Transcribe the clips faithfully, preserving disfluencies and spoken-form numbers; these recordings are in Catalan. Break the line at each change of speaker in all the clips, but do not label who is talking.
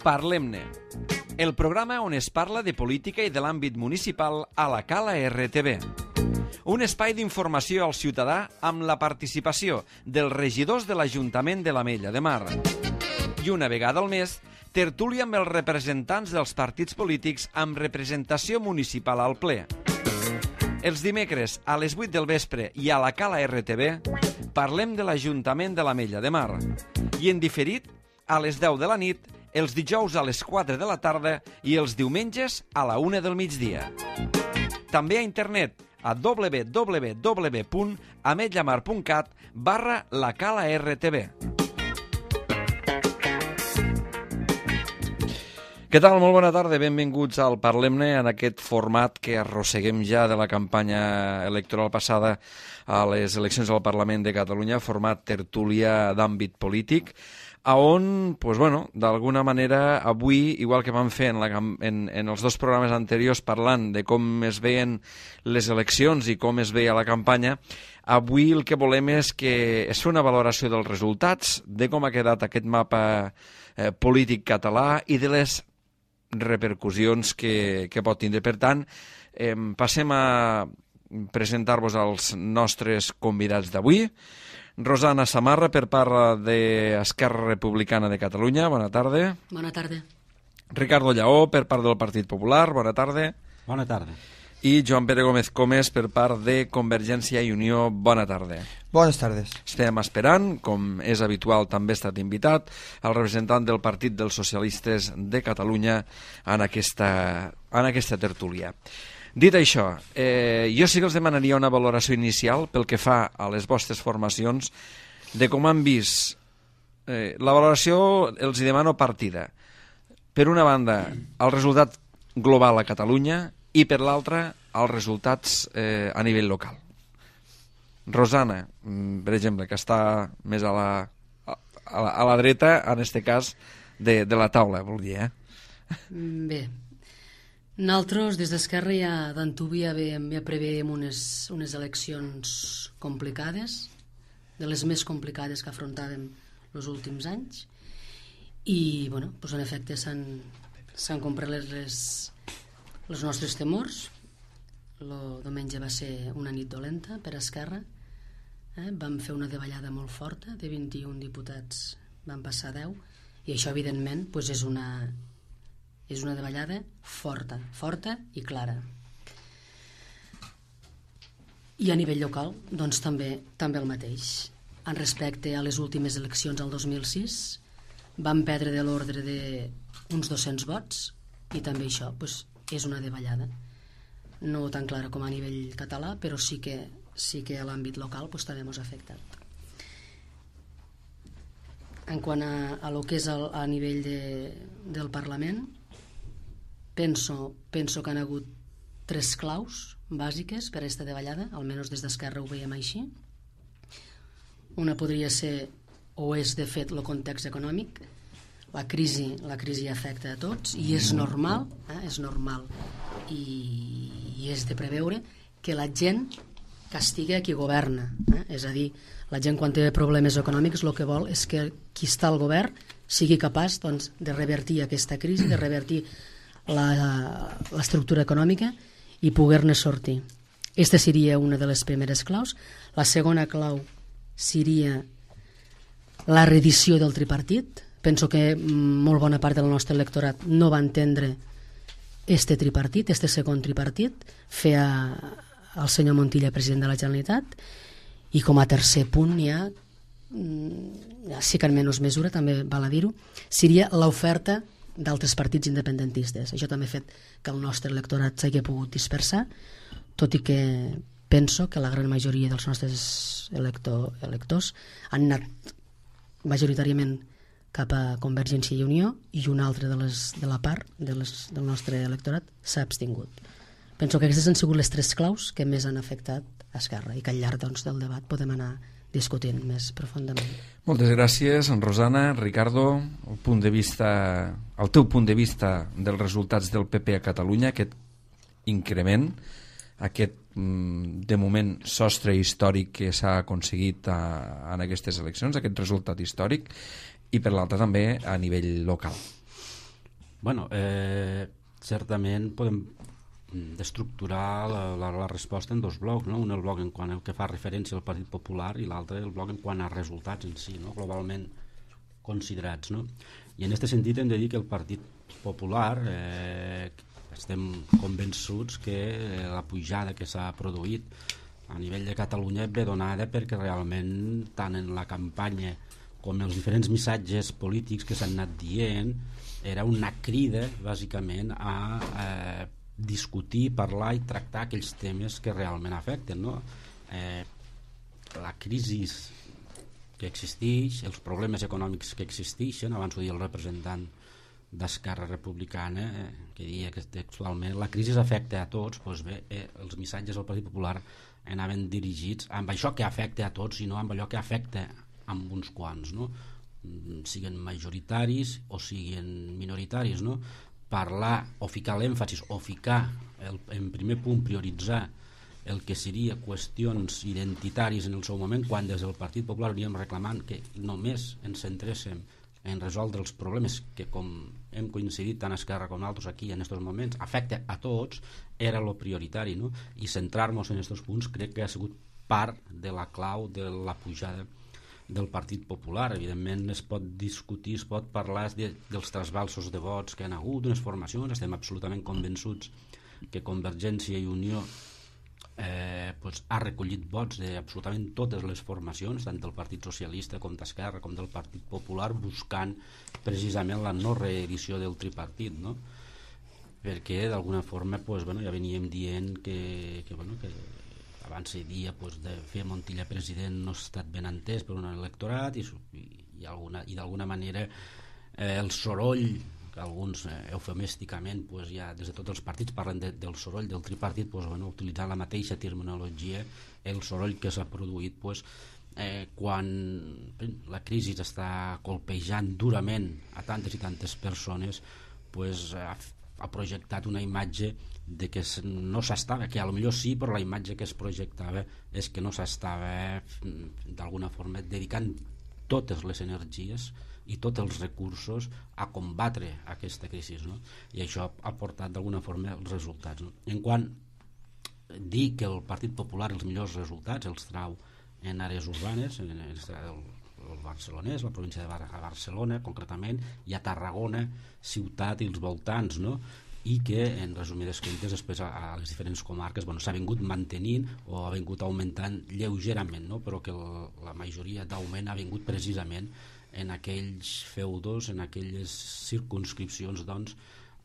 Parlem-ne, el programa on es parla de política i de l'àmbit municipal a la Cala R T V. Un espai d'informació al ciutadà amb la participació dels regidors de l'Ajuntament de l'Ametlla de Mar. I una vegada al mes, tertúlia amb els representants dels partits polítics amb representació municipal al ple. Els dimecres a les vuit del vespre i a la Cala R T V parlem de l'Ajuntament de l'Ametlla de Mar. I en diferit, a les deu de la nit, els dijous a les quatre de la tarda i els diumenges a la una del migdia. També a internet a w w w punt ametllamar punt cat barra la Cala R T V. Què tal? Molt bona tarda, benvinguts al Parlem-ne, en aquest format que arrosseguem ja de la campanya electoral passada a les eleccions al Parlament de Catalunya, format tertúlia d'àmbit polític, a on, pues bueno, d'alguna manera, avui, igual que vam fer en, la, en, en els dos programes anteriors parlant de com es veien les eleccions i com es veia la campanya, avui el que volem és que es fer una valoració dels resultats, de com ha quedat aquest mapa eh, polític català i de les repercussions que, que pot tindre. Per tant, eh, passem a presentar-vos als nostres convidats d'avui. Rosana Samarra, per part d'Esquerra Republicana de Catalunya, bona tarda.
Bona tarda.
Ricardo Lleó, per part del Partit Popular, bona tarda.
Bona tarda.
I Joan Pere Gómez Comes, per part de Convergència i Unió, bona tarda.
Bones tardes.
Estem esperant, com és habitual, també ha estat invitat, el representant del Partit dels Socialistes de Catalunya en aquesta, en aquesta tertúlia. Dit això, eh, jo sí que els demanaria una valoració inicial pel que fa a les vostres formacions de com han vist. Eh, la valoració els hi demano partida. Per una banda, el resultat global a Catalunya i per l'altra, els resultats eh, a nivell local. Rosana, per exemple, que està més a la, a la, a la dreta, en aquest cas, de, de la taula, vol dir, eh?
Bé, nosaltres des d'Esquerra ja d'antubi ja, ja preveiem unes, unes eleccions complicades, de les més complicades que afrontàvem els últims anys, i bueno, doncs en efecte s'han comprat les, les, els nostres temors. El diumenge va ser una nit dolenta per Esquerra, eh? Vam fer una davallada molt forta, de vint-i-un diputats van passar a deu, i això evidentment doncs és una és una davallada forta, forta i clara. I a nivell local, doncs també també el mateix. En respecte a les últimes eleccions al dos mil sis, vam perdre de l'ordre d'uns dos-cents vots, i també això doncs, és una davallada. No tan clara com a nivell català, però sí que, sí que a l'àmbit local doncs, també ens ha afectat. En quant a, a lo que és el, a nivell de, del Parlament, penso, penso que han hagut tres claus bàsiques per a aquesta davallada, almenys des d'Esquerra ho veiem així. Una podria ser, o és de fet, el context econòmic. La crisi, la crisi afecta a tots i és normal, eh, és normal i, i és de preveure que la gent castiga qui governa, eh? És a dir, la gent quan té problemes econòmics el que vol és que qui està al govern sigui capaç doncs, de revertir aquesta crisi, de revertir l'estructura econòmica i poder-ne sortir. Aquesta seria una de les primeres claus. La segona clau seria la reedició del tripartit. Penso que molt bona part del nostre electorat no va entendre este tripartit, este segon tripartit, fer al senyor Montilla president de la Generalitat. I com a tercer punt ja, sí que en menys mesura, també val a dir-ho, seria l'oferta d'altres partits independentistes. Això també ha fet que el nostre electorat s'hagi pogut dispersar, tot i que penso que la gran majoria dels nostres elector, electors han anat majoritàriament cap a Convergència i Unió i una altra de, les, de la part de les, del nostre electorat s'ha abstingut. Penso que aquestes han sigut les tres claus que més han afectat a Esquerra i que al llarg doncs, del debat podem anar discutint més profundament.
Moltes gràcies, Rosana. Ricardo, el, punt de vista, el teu punt de vista dels resultats del P P a Catalunya, aquest increment, aquest, de moment, sostre històric que s'ha aconseguit a, en aquestes eleccions, aquest resultat històric, i per l'altre també a nivell local.
Bueno, eh, certament podem d'estructurar la, la, la resposta en dos blocs, no? Un el bloc en quant al que fa referència al Partit Popular i l'altre el bloc en quant a resultats en si, no? Globalment considerats, no? I en aquest sentit hem de dir que el Partit Popular eh, estem convençuts que la pujada que s'ha produït a nivell de Catalunya ve donada perquè realment tant en la campanya com els diferents missatges polítics que s'han anat dient era una crida bàsicament a eh, discutir, parlar i tractar aquells temes que realment afecten, no? Eh, la crisi que existeix, els problemes econòmics que existeixen, abans ho dia el representant d'Esquerra Republicana, eh, que deia que textualment la crisi afecta a tots, doncs bé, eh, els missatges del Partit Popular anaven dirigits amb això que afecta a tots i no amb allò que afecta a uns quants, no? Siguen majoritaris o siguen minoritaris, no? Parlar o ficar l'èmfasis o ficar el, en primer punt prioritzar el que seria qüestions identitàries en el seu moment, quan des del Partit Popular havíem reclamant que només ens centréssim en resoldre els problemes que, com hem coincidit tant a Esquerra com altres aquí en aquests moments, afecta a tots, era lo prioritari, no? I centrar-nos en aquests punts crec que ha sigut part de la clau de la pujada del Partit Popular. Evidentment es pot discutir, es pot parlar de, dels trasbalsos de vots que han hagut d'unes formacions. Estem absolutament convençuts que Convergència i Unió eh, pues, ha recollit vots d'absolutament totes les formacions, tant del Partit Socialista com d'Esquerra com del Partit Popular, buscant precisament la no reedició del tripartit, no? Perquè d'alguna forma pues, bueno, ja veníem dient que, que, bueno, que abans se dia pues, de fer Montilla president no ha estat ben entès per un electorat i, i, i, alguna, i d'alguna manera eh, el soroll que alguns eh, eufemísticament pues, ja des de tots els partits parlen de, del soroll del tripartit, pues, bueno, utilitzant la mateixa terminologia, el soroll que s'ha produït pues, eh, quan la crisi està colpejant durament a tantes i tantes persones, pues, ha, ha projectat una imatge de que no s'estava, que a lo millor sí, però la imatge que es projectava és que no s'estava d'alguna forma dedicant totes les energies i tots els recursos a combatre aquesta crisi, no? I això ha portat d'alguna forma els resultats, no? En quant dir que el Partit Popular els millors resultats els trau en àrees urbanes, en el, el barcelonès, la província de Bar Barcelona concretament, i a Tarragona ciutat i els voltants, no? I que en resumides comptes després a, a les diferents comarques bueno, s'ha vingut mantenint o ha vingut augmentant lleugerament, no? Però que el, la majoria d'augment ha vingut precisament en aquells feudos, en aquelles circumscripcions doncs,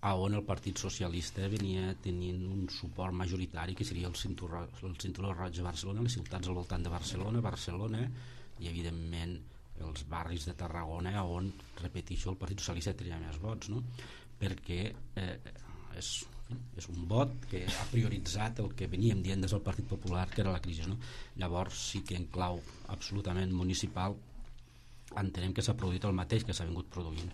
a on el Partit Socialista venia tenint un suport majoritari que seria el cinturó, el cinturó roig de Barcelona, les ciutats al voltant de Barcelona, Barcelona i evidentment els barris de Tarragona on, repeteixo, el Partit Socialista tenia més vots, no? Perquè eh, és, és un vot que ha prioritzat el que veníem dient des del Partit Popular, que era la crisi, no? Llavors sí que en clau absolutament municipal entenem que s'ha produït el mateix que s'ha vingut produint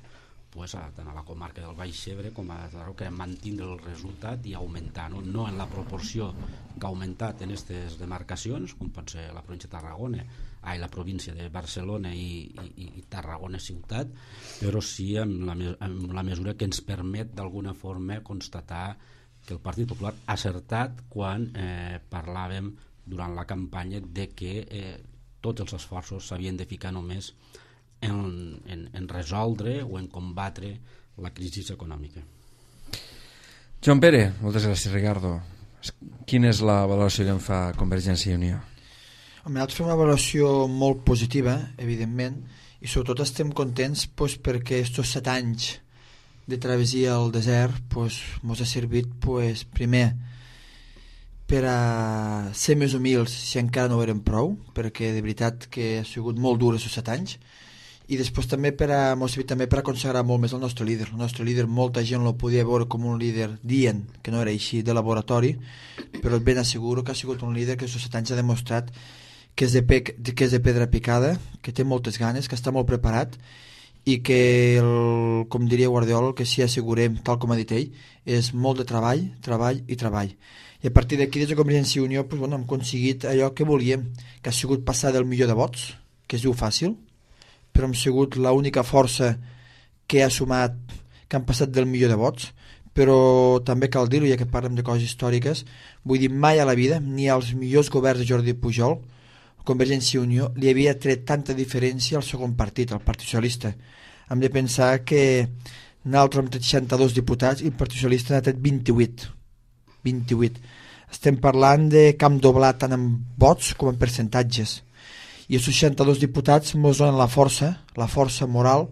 pues, a, tant a la comarca del Baix Ebre com a Tarragona, que mantindre el resultat i augmentar, no? No en la proporció que ha augmentat en aquestes demarcacions, com pot ser la província de Tarragona, ai, la província de Barcelona i, i, i Tarragona ciutat, però sí amb la, amb la mesura que ens permet d'alguna forma constatar que el Partit Popular ha acertat quan eh, parlàvem durant la campanya de que eh, tots els esforços s'havien de ficar només En, en, en resoldre o en combatre la crisi econòmica.
Joan Pere, moltes gràcies, Ricardo. Quina és la valoració que en fa Convergència i Unió?
Home, nosaltres fem una valoració molt positiva, evidentment, i sobretot estem contents pues, perquè aquests set anys de travessia al desert pues, ens ha servit pues, primer per a ser més humils si encara no ho eren prou, perquè de veritat que ha sigut molt dur aquests set anys, i després també per a, també per a consagrar molt més el nostre líder. El nostre líder molta gent el podia veure com un líder dient que no era així de laboratori, però ben asseguro que ha sigut un líder que aquests set anys ha demostrat que és de, pe que és de pedra picada, que té moltes ganes, que està molt preparat i que, el, com diria Guardiola, el que sí assegurem, tal com ha dit ell, és molt de treball, treball i treball. I a partir d'aquí, des de Convergència i Unió, pues, bueno, hem aconseguit allò que volíem, que ha sigut passar del millor de vots, que es diu fàcil, però hem sigut l'única força que ha sumat, que han passat del milió de vots, però també cal dir-ho, ja que parlem de coses històriques, vull dir, mai a la vida, ni als millors governs de Jordi Pujol, Convergència i Unió, li havia tret tanta diferència al segon partit, el Partit Socialista. Hem de pensar que nosaltres hem tret seixanta-dos diputats i el Partit Socialista n'ha tret vint-i-vuit. vint-i-vuit. Estem parlant de camp doblat tant en vots com en percentatges. I els seixanta-dos diputats ens donen la força, la força moral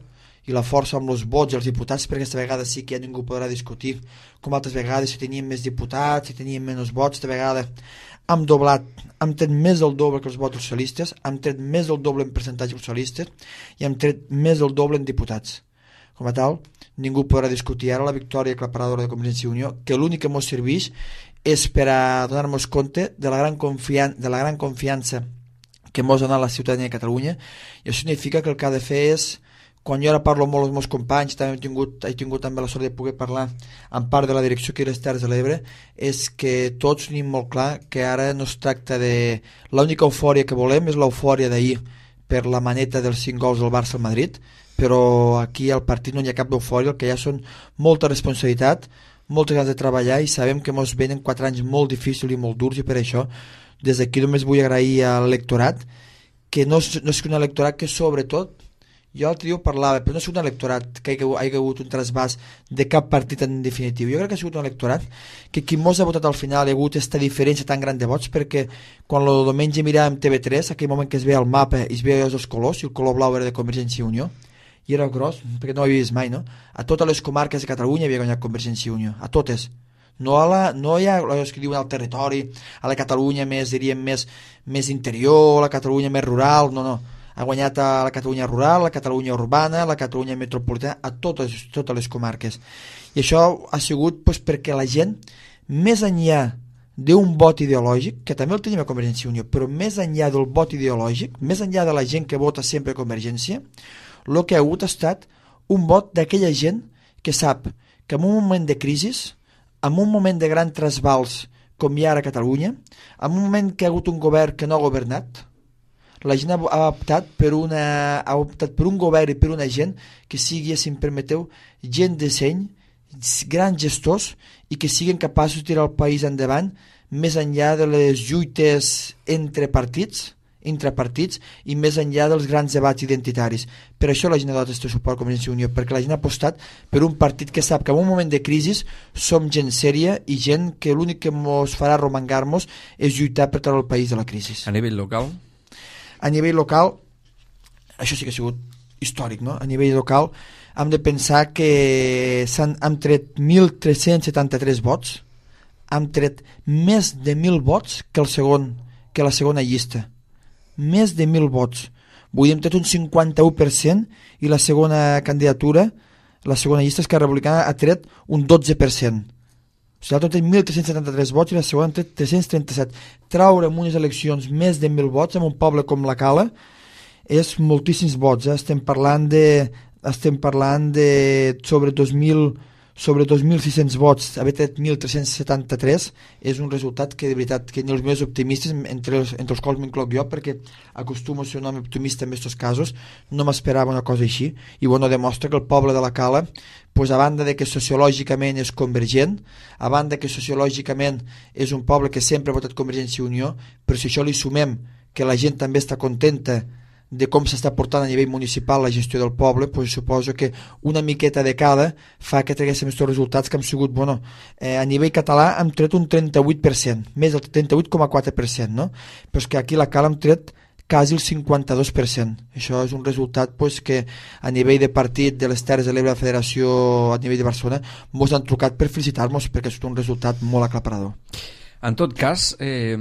i la força amb els vots dels diputats, perquè aquesta vegada sí que ja ningú podrà discutir com altres vegades, si teníem més diputats, si teníem menys vots. Esta vegada hem doblat, hem tret més del doble que els vots socialistes, hem tret més del doble en percentatge socialistes i hem tret més del doble en diputats. Com a tal, ningú podrà discutir ara la victòria aclaparadora de Convergència i Unió, que l'únic que ens serveix és per a donar-nos compte de la gran, confian de la gran confiança que ens ha donat la ciutadania de Catalunya, i això significa que el que ha de fer és, quan jo ara parlo molt amb els meus companys, també he tingut, he tingut també la sort de poder parlar en part de la direcció que era les Terres de l'Ebre, és que tots tenim molt clar que ara no es tracta de... L'única eufòria que volem és l'eufòria d'ahir per la maneta dels cinc gols del Barça al Madrid, però aquí al partit no hi ha cap eufòria, el que hi ha són molta responsabilitat, moltes ganes de treballar, i sabem que ens venen quatre anys molt difícils i molt durs, i per això des d'aquí només vull agrair a l'electorat, que no és, no és un electorat que sobretot, jo l'altre dia ho parlava, però no és un electorat que hi ha hagut un trasbàs de cap partit en definitiu. Jo crec que ha sigut un electorat que qui mos ha votat al final hi ha hagut aquesta diferència tan gran de vots, perquè quan el diumenge miràvem T V tres, aquell moment que es veia el mapa i es veia els colors, i el color blau era de Convergència i Unió, i era gros, perquè no ho havia vist mai, no? A totes les comarques de Catalunya havia guanyat Convergència i Unió, a totes. No, a la, no hi ha els que diuen al territori, a la Catalunya més, diríem, més, més interior, a la Catalunya més rural, no, no. Ha guanyat a la Catalunya rural, a la Catalunya urbana, a la Catalunya metropolitana, a totes, totes les comarques. I això ha sigut doncs, perquè la gent, més enllà d'un vot ideològic, que també el tenim a Convergència i Unió, però més enllà del vot ideològic, més enllà de la gent que vota sempre a Convergència, el que ha hagut ha estat un vot d'aquella gent que sap que en un moment de crisi, en un moment de gran trasbals com hi ha ara a Catalunya, en un moment que ha hagut un govern que no ha governat, la gent ha optat per, una, ha optat per un govern i per una gent que sigui, si em permeteu, gent de seny, grans gestors, i que siguin capaços de tirar el país endavant més enllà de les lluites entre partits, entre partits, i més enllà dels grans debats identitaris. Per això la gent ha donat este suport a Convergència i Unió, perquè la gent ha apostat per un partit que sap que en un moment de crisi som gent sèria i gent que l'únic que ens farà romangar-nos és lluitar per treure el país de la crisi.
A nivell local?
A nivell local, això sí que ha sigut històric, no? A nivell local hem de pensar que s'han hem tret mil tres-cents setanta-tres vots, hem tret més de mil vots que, el segon, que la segona llista. Més de mil vots. Vull dir, hem tret un cinquanta-u per cent i la segona candidatura, la segona llista Esquerra Republicana, ha tret un dotze per cent. O sigui, l'altre té mil tres-cents setanta-tres vots i la segona té tres-cents trenta-set. Traure en unes eleccions més de mil vots en un poble com la Cala és moltíssims vots. Eh? Estem parlant de, estem parlant de sobre dos mil sobre dos mil sis-cents vots, haver tret mil tres-cents setanta-tres és un resultat que de veritat que ni els més optimistes, entre els, entre els quals m'incloc jo, perquè acostumo a ser un home optimista en aquests casos, no m'esperava una cosa així, i bueno, demostra que el poble de la Cala, pues, a banda de que sociològicament és convergent, a banda que sociològicament és un poble que sempre ha votat Convergència i Unió, però si això li sumem que la gent també està contenta de com s'està portant a nivell municipal la gestió del poble, pues suposo que una miqueta de cada fa que traguéssim aquests resultats que han sigut, bueno, eh, a nivell català hem tret un trenta-vuit per cent, més del trenta-vuit coma quatre per cent, no? Però és que aquí la Cala hem tret quasi el cinquanta-dos per cent. Això és un resultat pues, que a nivell de partit de les Terres de l'Ebre, la Federació a nivell de Barcelona, ens han trucat per felicitar-nos perquè és un resultat molt aclaparador.
En tot cas, eh,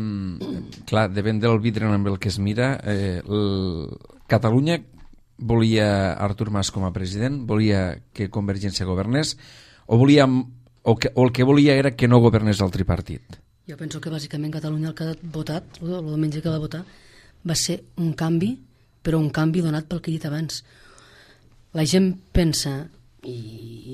clar, depèn del vidre amb el que es mira, eh, el... Catalunya volia Artur Mas com a president, volia que Convergència governés, o, volia, o, que, o el que volia era que no governés el tripartit?
Jo penso que bàsicament Catalunya el que ha votat, el diumenge que va votar, va ser un canvi, però un canvi donat pel que he dit abans. La gent pensa, i,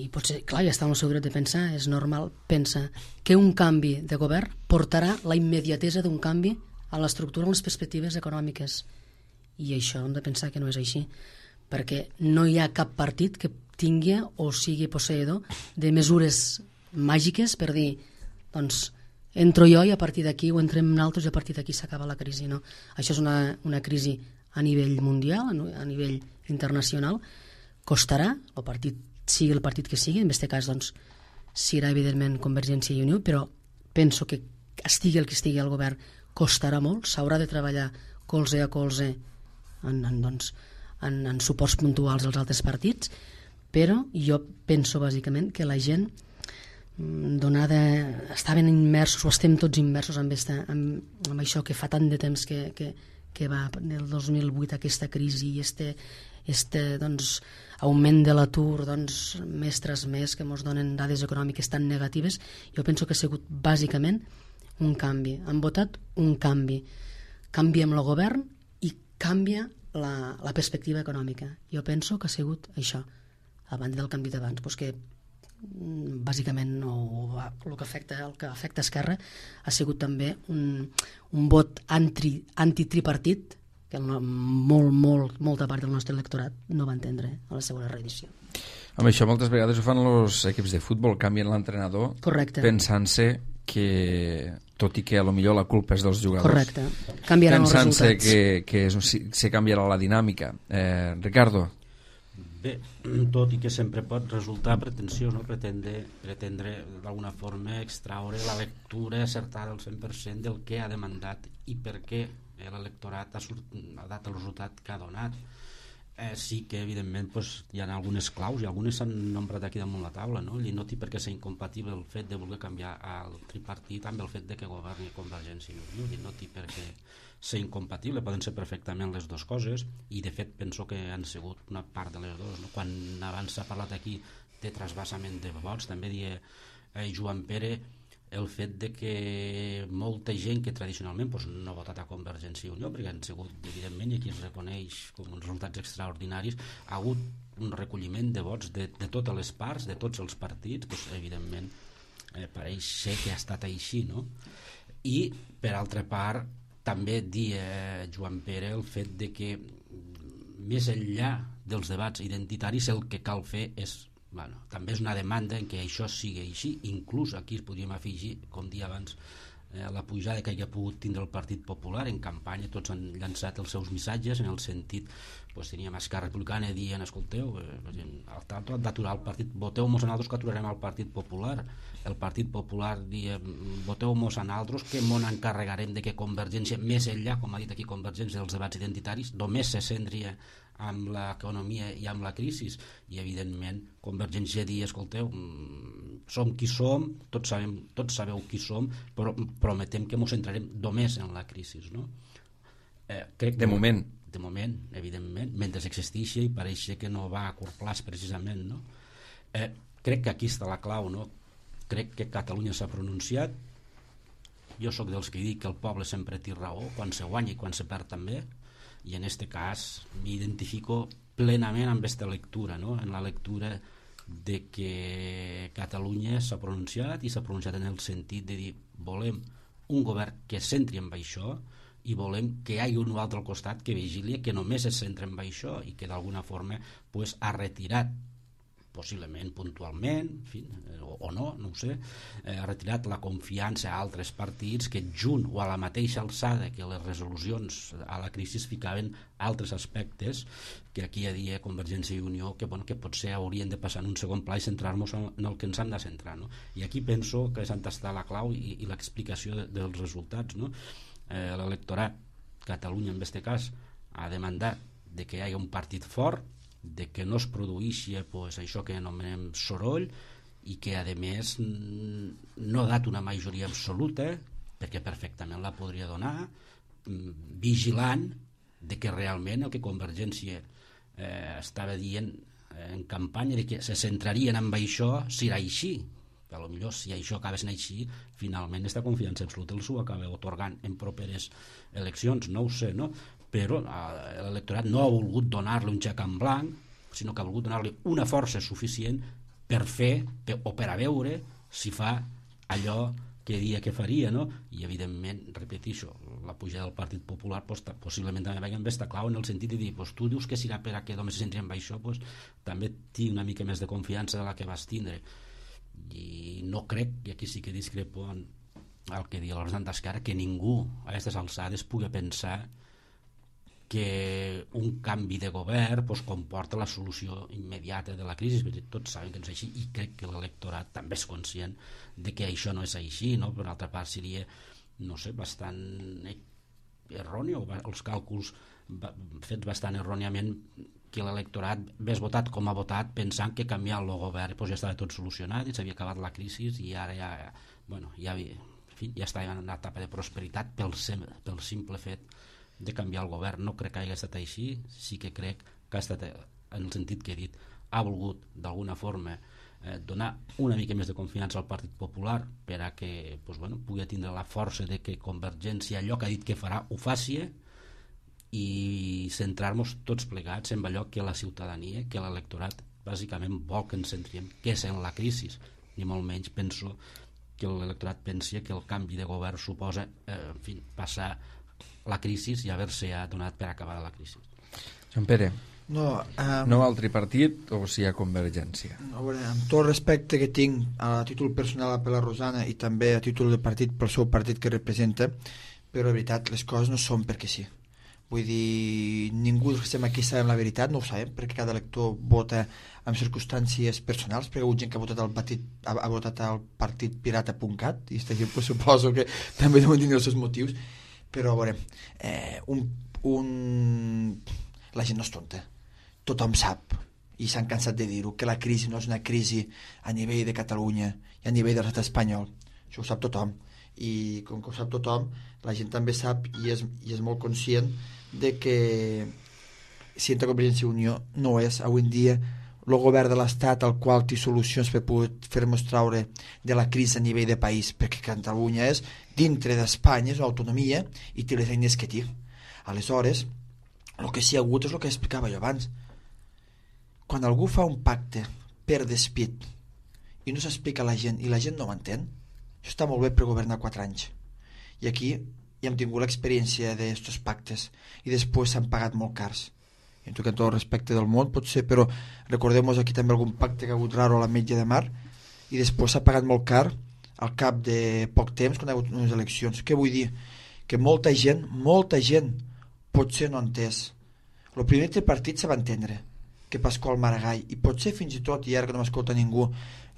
i potser, clar, ja estàvem segurs de pensar, és normal, pensa que un canvi de govern portarà la immediatesa d'un canvi a l'estructura, a les perspectives econòmiques. I això hem de pensar que no és així, perquè no hi ha cap partit que tingui o sigui posseïdor de mesures màgiques per dir, doncs, entro jo i a partir d'aquí o entrem nosaltres i a partir d'aquí s'acaba la crisi. No? Això és una, una crisi a nivell mundial, a nivell internacional. Costarà, el partit sigui el partit que sigui, en aquest cas doncs, serà evidentment Convergència i Unió, però penso que estigui el que estigui al govern costarà molt, s'haurà de treballar colze a colze en, en, doncs, en, en suports puntuals als altres partits, però jo penso bàsicament que la gent donada, estaven immersos o estem tots immersos amb, esta, amb, amb això que fa tant de temps que, que, que va del dos mil vuit aquesta crisi i este, este doncs, augment de l'atur doncs, mes tras mes que ens donen dades econòmiques tan negatives. Jo penso que ha sigut bàsicament un canvi, han votat un canvi canvia amb el govern i canvia la, la perspectiva econòmica. Jo penso que ha sigut això, a banda del canvi d'abans, doncs que bàsicament no, el que afecta el que afecta Esquerra ha sigut també un, un vot anti, antitripartit que molt, molt, molta part del nostre electorat no va entendre a la segona reedició.
Amb això moltes vegades ho fan els equips de futbol, canvien l'entrenador pensant-se que, tot i que a lo millor la culpa és dels jugadors,
correcte, canviaran els resultats,
pensant-se que, que és, se canviarà la dinàmica. eh, Ricardo?
Bé, tot i que sempre pot resultar pretensiós, no? pretendre, pretendre d'alguna forma extraure la lectura acertada al cent per cent del que ha demandat i per què l'electorat ha, ha dat el resultat que ha donat. Eh, sí que evidentment pues, hi ha algunes claus i algunes s'han nombrat aquí damunt la taula, no? I no té per què ser incompatible el fet de voler canviar el tripartit amb el fet de que governi Convergència i Unió, i no té per què ser incompatible, poden ser perfectament les dues coses, i de fet penso que han sigut una part de les dues, no? Quan abans s'ha parlat aquí de trasbassament de vots, també deia eh, Joan Pere el fet de que molta gent que tradicionalment pues, no ha votat a Convergència i Unió, perquè han sigut, evidentment, i aquí es reconeix com uns resultats extraordinaris, ha hagut un recolliment de vots de, de totes les parts, de tots els partits, pues, evidentment eh, pareix ser que ha estat així, no? I, per altra part, també dia eh, Joan Pere el fet de que més enllà dels debats identitaris el que cal fer és, bueno, també és una demanda en què això sigui així, inclús aquí es podríem afegir, com dia abans, eh, la pujada que hi ha pogut tindre el Partit Popular en campanya, tots han llançat els seus missatges en el sentit, doncs teníem Esquerra Republicana dient, escolteu, eh, al tanto d'aturar el partit, voteu-mos a nosaltres que aturarem el Partit Popular, el Partit Popular dia, voteu-mos a nosaltres que m'on encarregarem de que Convergència, més enllà, com ha dit aquí Convergència, dels debats identitaris, només se centria amb l'economia i amb la crisi, i evidentment Convergència dir, escolteu, som qui som, tots, sabem, tots sabeu qui som, però prometem que ens centrarem només en la crisi, no? Eh, crec
de
que,
moment
de moment, evidentment, mentre existeixi i pareix que no va a curt plaç precisament, no? Eh, crec que aquí està la clau, no? Crec que Catalunya s'ha pronunciat, jo sóc dels que dic que el poble sempre té raó, quan se guanya i quan se perd també, i en aquest cas m'identifico plenament amb aquesta lectura, no? En la lectura de que Catalunya s'ha pronunciat i s'ha pronunciat en el sentit de dir volem un govern que es centri en això i volem que hi hagi un altre al costat que vigilia que només es centra en això i que d'alguna forma pues, ha retirat possiblement puntualment, en fi, o, o no, no ho sé, eh, ha retirat la confiança a altres partits que junt o a la mateixa alçada que les resolucions a la crisi ficaven altres aspectes que aquí hi havia Convergència i Unió que, bueno, que potser haurien de passar en un segon pla i centrar-nos en, en el que ens han de centrar, no? I aquí penso que és on està la clau i, i l'explicació de, dels resultats, no? Eh, l'electorat, Catalunya en aquest cas, ha demandat de que hi hagi un partit fort, de que no es produeixi pues, això que anomenem soroll i que a més no ha dat una majoria absoluta perquè perfectament la podria donar, vigilant de que realment el que Convergència eh, estava dient en campanya de que se centrarien en això serà així, a lo millor si això acaba sent així finalment aquesta confiança absoluta els ho acaba otorgant en properes eleccions, no ho sé, no? Però l'electorat no ha volgut donar-li un xec en blanc, sinó que ha volgut donar-li una força suficient per fer per, o per a veure si fa allò què dia que faria, no? I evidentment, repeteixo, la pujada del Partit Popular pues, possiblement també va haver esta clau en el sentit de dir, pues, tu dius que serà per a que només se centri en això, pues, també tinc una mica més de confiança de la que vas tindre, i no crec, i aquí sí que discrepo en el que diu l'Orsan d'Esquerra, que ningú a aquestes alçades pugui pensar que un canvi de govern pues, comporta la solució immediata de la crisi, perquè tots saben que no és així, i crec que l'electorat també és conscient de que això no és així, no? Per altra part seria, no sé, bastant erroni, o els càlculs fets bastant erròniament, que l'electorat hagués votat com ha votat pensant que canviant el govern pues, ja estava tot solucionat i s'havia acabat la crisi i ara ja, bueno, ja, havia, en fi, ja estava en una etapa de prosperitat pel, pel simple fet de canviar el govern. No crec que hagi estat així, sí que crec que ha estat, en el sentit que he dit, ha volgut d'alguna forma eh, donar una mica més de confiança al Partit Popular per a que pues, bueno, pugui tindre la força de que Convergència allò que ha dit que farà ho faci i centrar-nos tots plegats en allò que la ciutadania, que l'electorat bàsicament vol que ens centrem, que és en la crisi, ni molt menys penso que l'electorat pensi que el canvi de govern suposa eh, en fi, passar la crisi i haver-se donat per acabar la crisi.
Joan Pere,
no, um,
no al tripartit o si hi ha Convergència?
A veure, amb tot el respecte que tinc a títol personal per la Rosana i també a títol de partit pel seu partit que representa, però de veritat les coses no són perquè sí. Vull dir, ningú que estem aquí sabem la veritat, no ho sabem, perquè cada elector vota en circumstàncies personals, perquè hi ha gent que ha votat al partit, ha, ha votat al partit pirata punt cat, i aquesta gent pues, suposo que també deuen tenir els seus motius, però a veure, eh, un, un... la gent no és tonta, tothom sap, i s'han cansat de dir-ho, que la crisi no és una crisi a nivell de Catalunya i a nivell de l'estat espanyol, això ho sap tothom, i com que ho sap tothom, la gent també sap i és, i és molt conscient de que si entra Convergència i Unió no és avui en dia el govern de l'Estat al qual té solucions per poder fer-nos traure de la crisi a nivell de país, perquè Catalunya és dintre d'Espanya, és una autonomia i té les eines que té. Aleshores, el que sí ha hagut és el que explicava jo abans. Quan algú fa un pacte per despit i no s'explica a la gent i la gent no ho entén, això està molt bé per governar quatre anys. I aquí ja hem tingut l'experiència d'estos pactes i després s'han pagat molt cars. I amb tot el respecte del món pot ser, però recordem-nos aquí també algun pacte que ha hagut raro a l'Ametlla de Mar i després s'ha pagat molt car al cap de poc temps quan hi ha hagut unes eleccions. Què vull dir? Que molta gent, molta gent potser no ha entès. El primer tripartit se va entendre, que Pasqual Maragall, i potser fins i tot, i ara que no m'escolta ningú,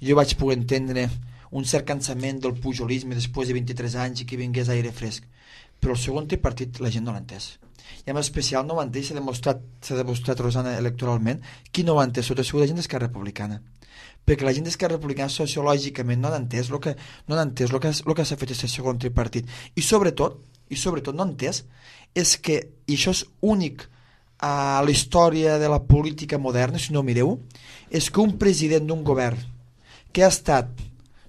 jo vaig poder entendre un cert cansament del pujolisme després de vint-i-tres anys i que vingués aire fresc. Però el segon tripartit la gent no l'ha entès. I en especial no ho ha entès, s'ha demostrat, s'ha demostrat Rosana, electoralment, qui no ho ha entès, sota la gent d'Esquerra Republicana. Perquè la gent d'Esquerra Republicana sociològicament no ha entès el que, no ha entès el que, el que s'ha fet aquest segon tripartit. I sobretot, i sobretot no ha entès, és que, i això és únic a la història de la política moderna, si no mireu, és que un president d'un govern que ha estat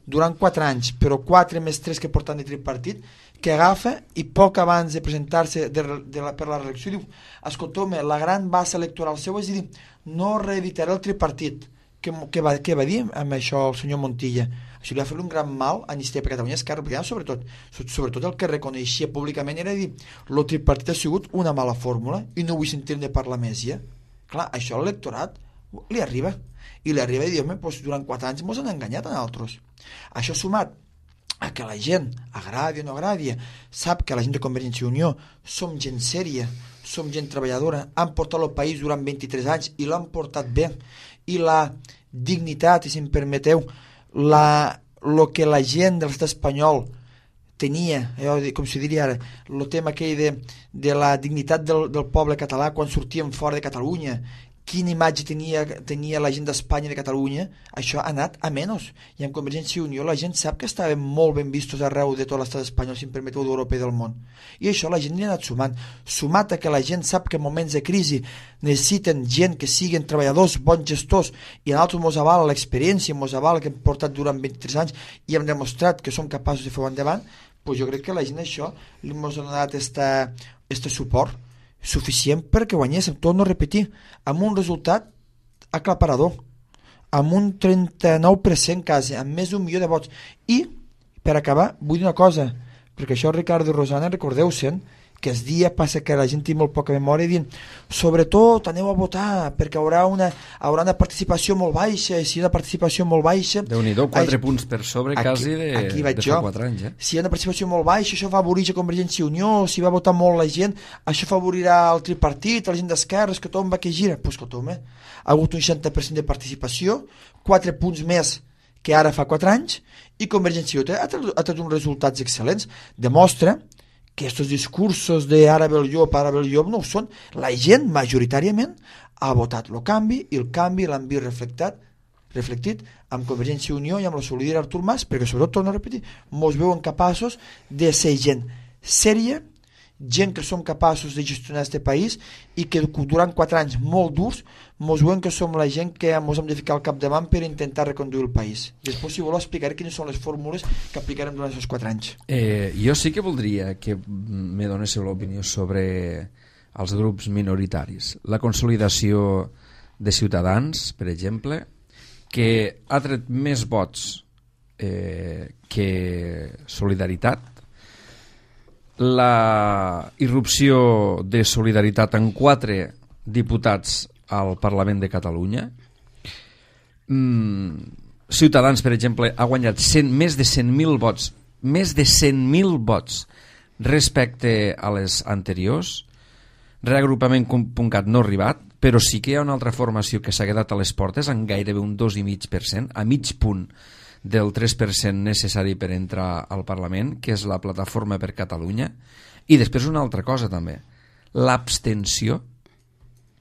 durant quatre anys, però quatre més tres que porten de tripartit, que agafa i poc abans de presentar-se de, de la, per la reelecció diu, escolteu-me, la gran base electoral seu és dir, no reeditaré el tripartit. Què, què, va, què va dir amb això el senyor Montilla? Això li va fer un gran mal a Iniciativa per Catalunya, Esquerra Republicana, sobretot, sobretot el que reconeixia públicament era dir, el tripartit ha sigut una mala fórmula i no vull sentir-ne parlar més ja. Clar, això a l'electorat li arriba. I li arriba i diu, doncs, durant quatre anys ens han enganyat a nosaltres. Això sumat a que la gent, agradi o no agradi, sap que la gent de Convergència i Unió som gent sèria, som gent treballadora, han portat el país durant vint-i-tres anys i l'han portat bé. I la dignitat, i si em permeteu, la, lo que la gent de l'estat espanyol tenia, eh, com si diria ara, el tema aquell de, de la dignitat del, del poble català quan sortíem fora de Catalunya, quina imatge tenia, tenia la gent d'Espanya i de Catalunya, això ha anat a menys. I amb Convergència i Unió la gent sap que estaven molt ben vistos arreu de tot l'estat espanyol, si em permeteu, d'Europa i del món. I això la gent li ha anat sumant. Sumat a que la gent sap que en moments de crisi necessiten gent que siguin treballadors, bons gestors, i a nosaltres mos avala l'experiència, mos avala que hem portat durant vint-i-tres anys i hem demostrat que som capaços de fer-ho endavant, doncs jo crec que la gent això li mos ha donat este suport suficient perquè guanyéssim, tot no repetir, amb un resultat aclaparador, amb un trenta-nou per cent quasi, amb més d'un milió de vots. I, Per acabar, vull dir una cosa, perquè això Ricardo i Rosana, recordeu-se'n que el dia passa que la gent té molt poca memòria dient, sobretot aneu a votar perquè haurà una, haurà una participació molt baixa, i si hi ha una participació molt baixa...
Déu-n'hi-do, quatre ai, punts per sobre aquí, quasi de,
aquí vaig
de
jo.
fa quatre anys. Eh?
Si hi ha una participació molt baixa, això favoritza Convergència i Unió, si va votar molt la gent, això favorirà el tripartit, la gent d'esquerres, que tothom va que gira. Pues escolta'm, eh? Ha hagut un seixanta per cent de participació, quatre punts més que ara fa quatre anys, i Convergència i Unió ha tret uns resultats excel·lents. Demostra que aquests discursos de ara ve el llop, ara ve el llop, no ho són. La gent, majoritàriament, ha votat el canvi, i el canvi l'han vist reflectat, reflectit amb Convergència i Unió i amb la solidaritat d'Artur Mas, perquè sobretot, torno a repetir, mos veuen capaços de ser gent sèria, gent que som capaços de gestionar aquest país i que durant quatre anys molt durs mos veuen que som la gent que mos hem de ficar al capdavant per intentar reconduir el país. Després, si voleu, explicaré quines són les fórmules que aplicarem durant aquests quatre anys.
Eh, jo sí que voldria que me donéssiu l'opinió sobre els grups minoritaris. La consolidació de Ciutadans, per exemple, que ha tret més vots eh, que Solidaritat. La irrupció de Solidaritat en quatre diputats al Parlament de Catalunya. Mm, Ciutadans, per exemple, ha guanyat cent, més de cent mil vots, més de cent mil vots respecte a les anteriors. Reagrupament punt cat no ha arribat, però sí que hi ha una altra formació que s'ha quedat a les portes en gairebé un dos coma cinc per cent, a mig punt del tres per cent necessari per entrar al Parlament, que és la Plataforma per Catalunya. I després una altra cosa també, l'abstenció,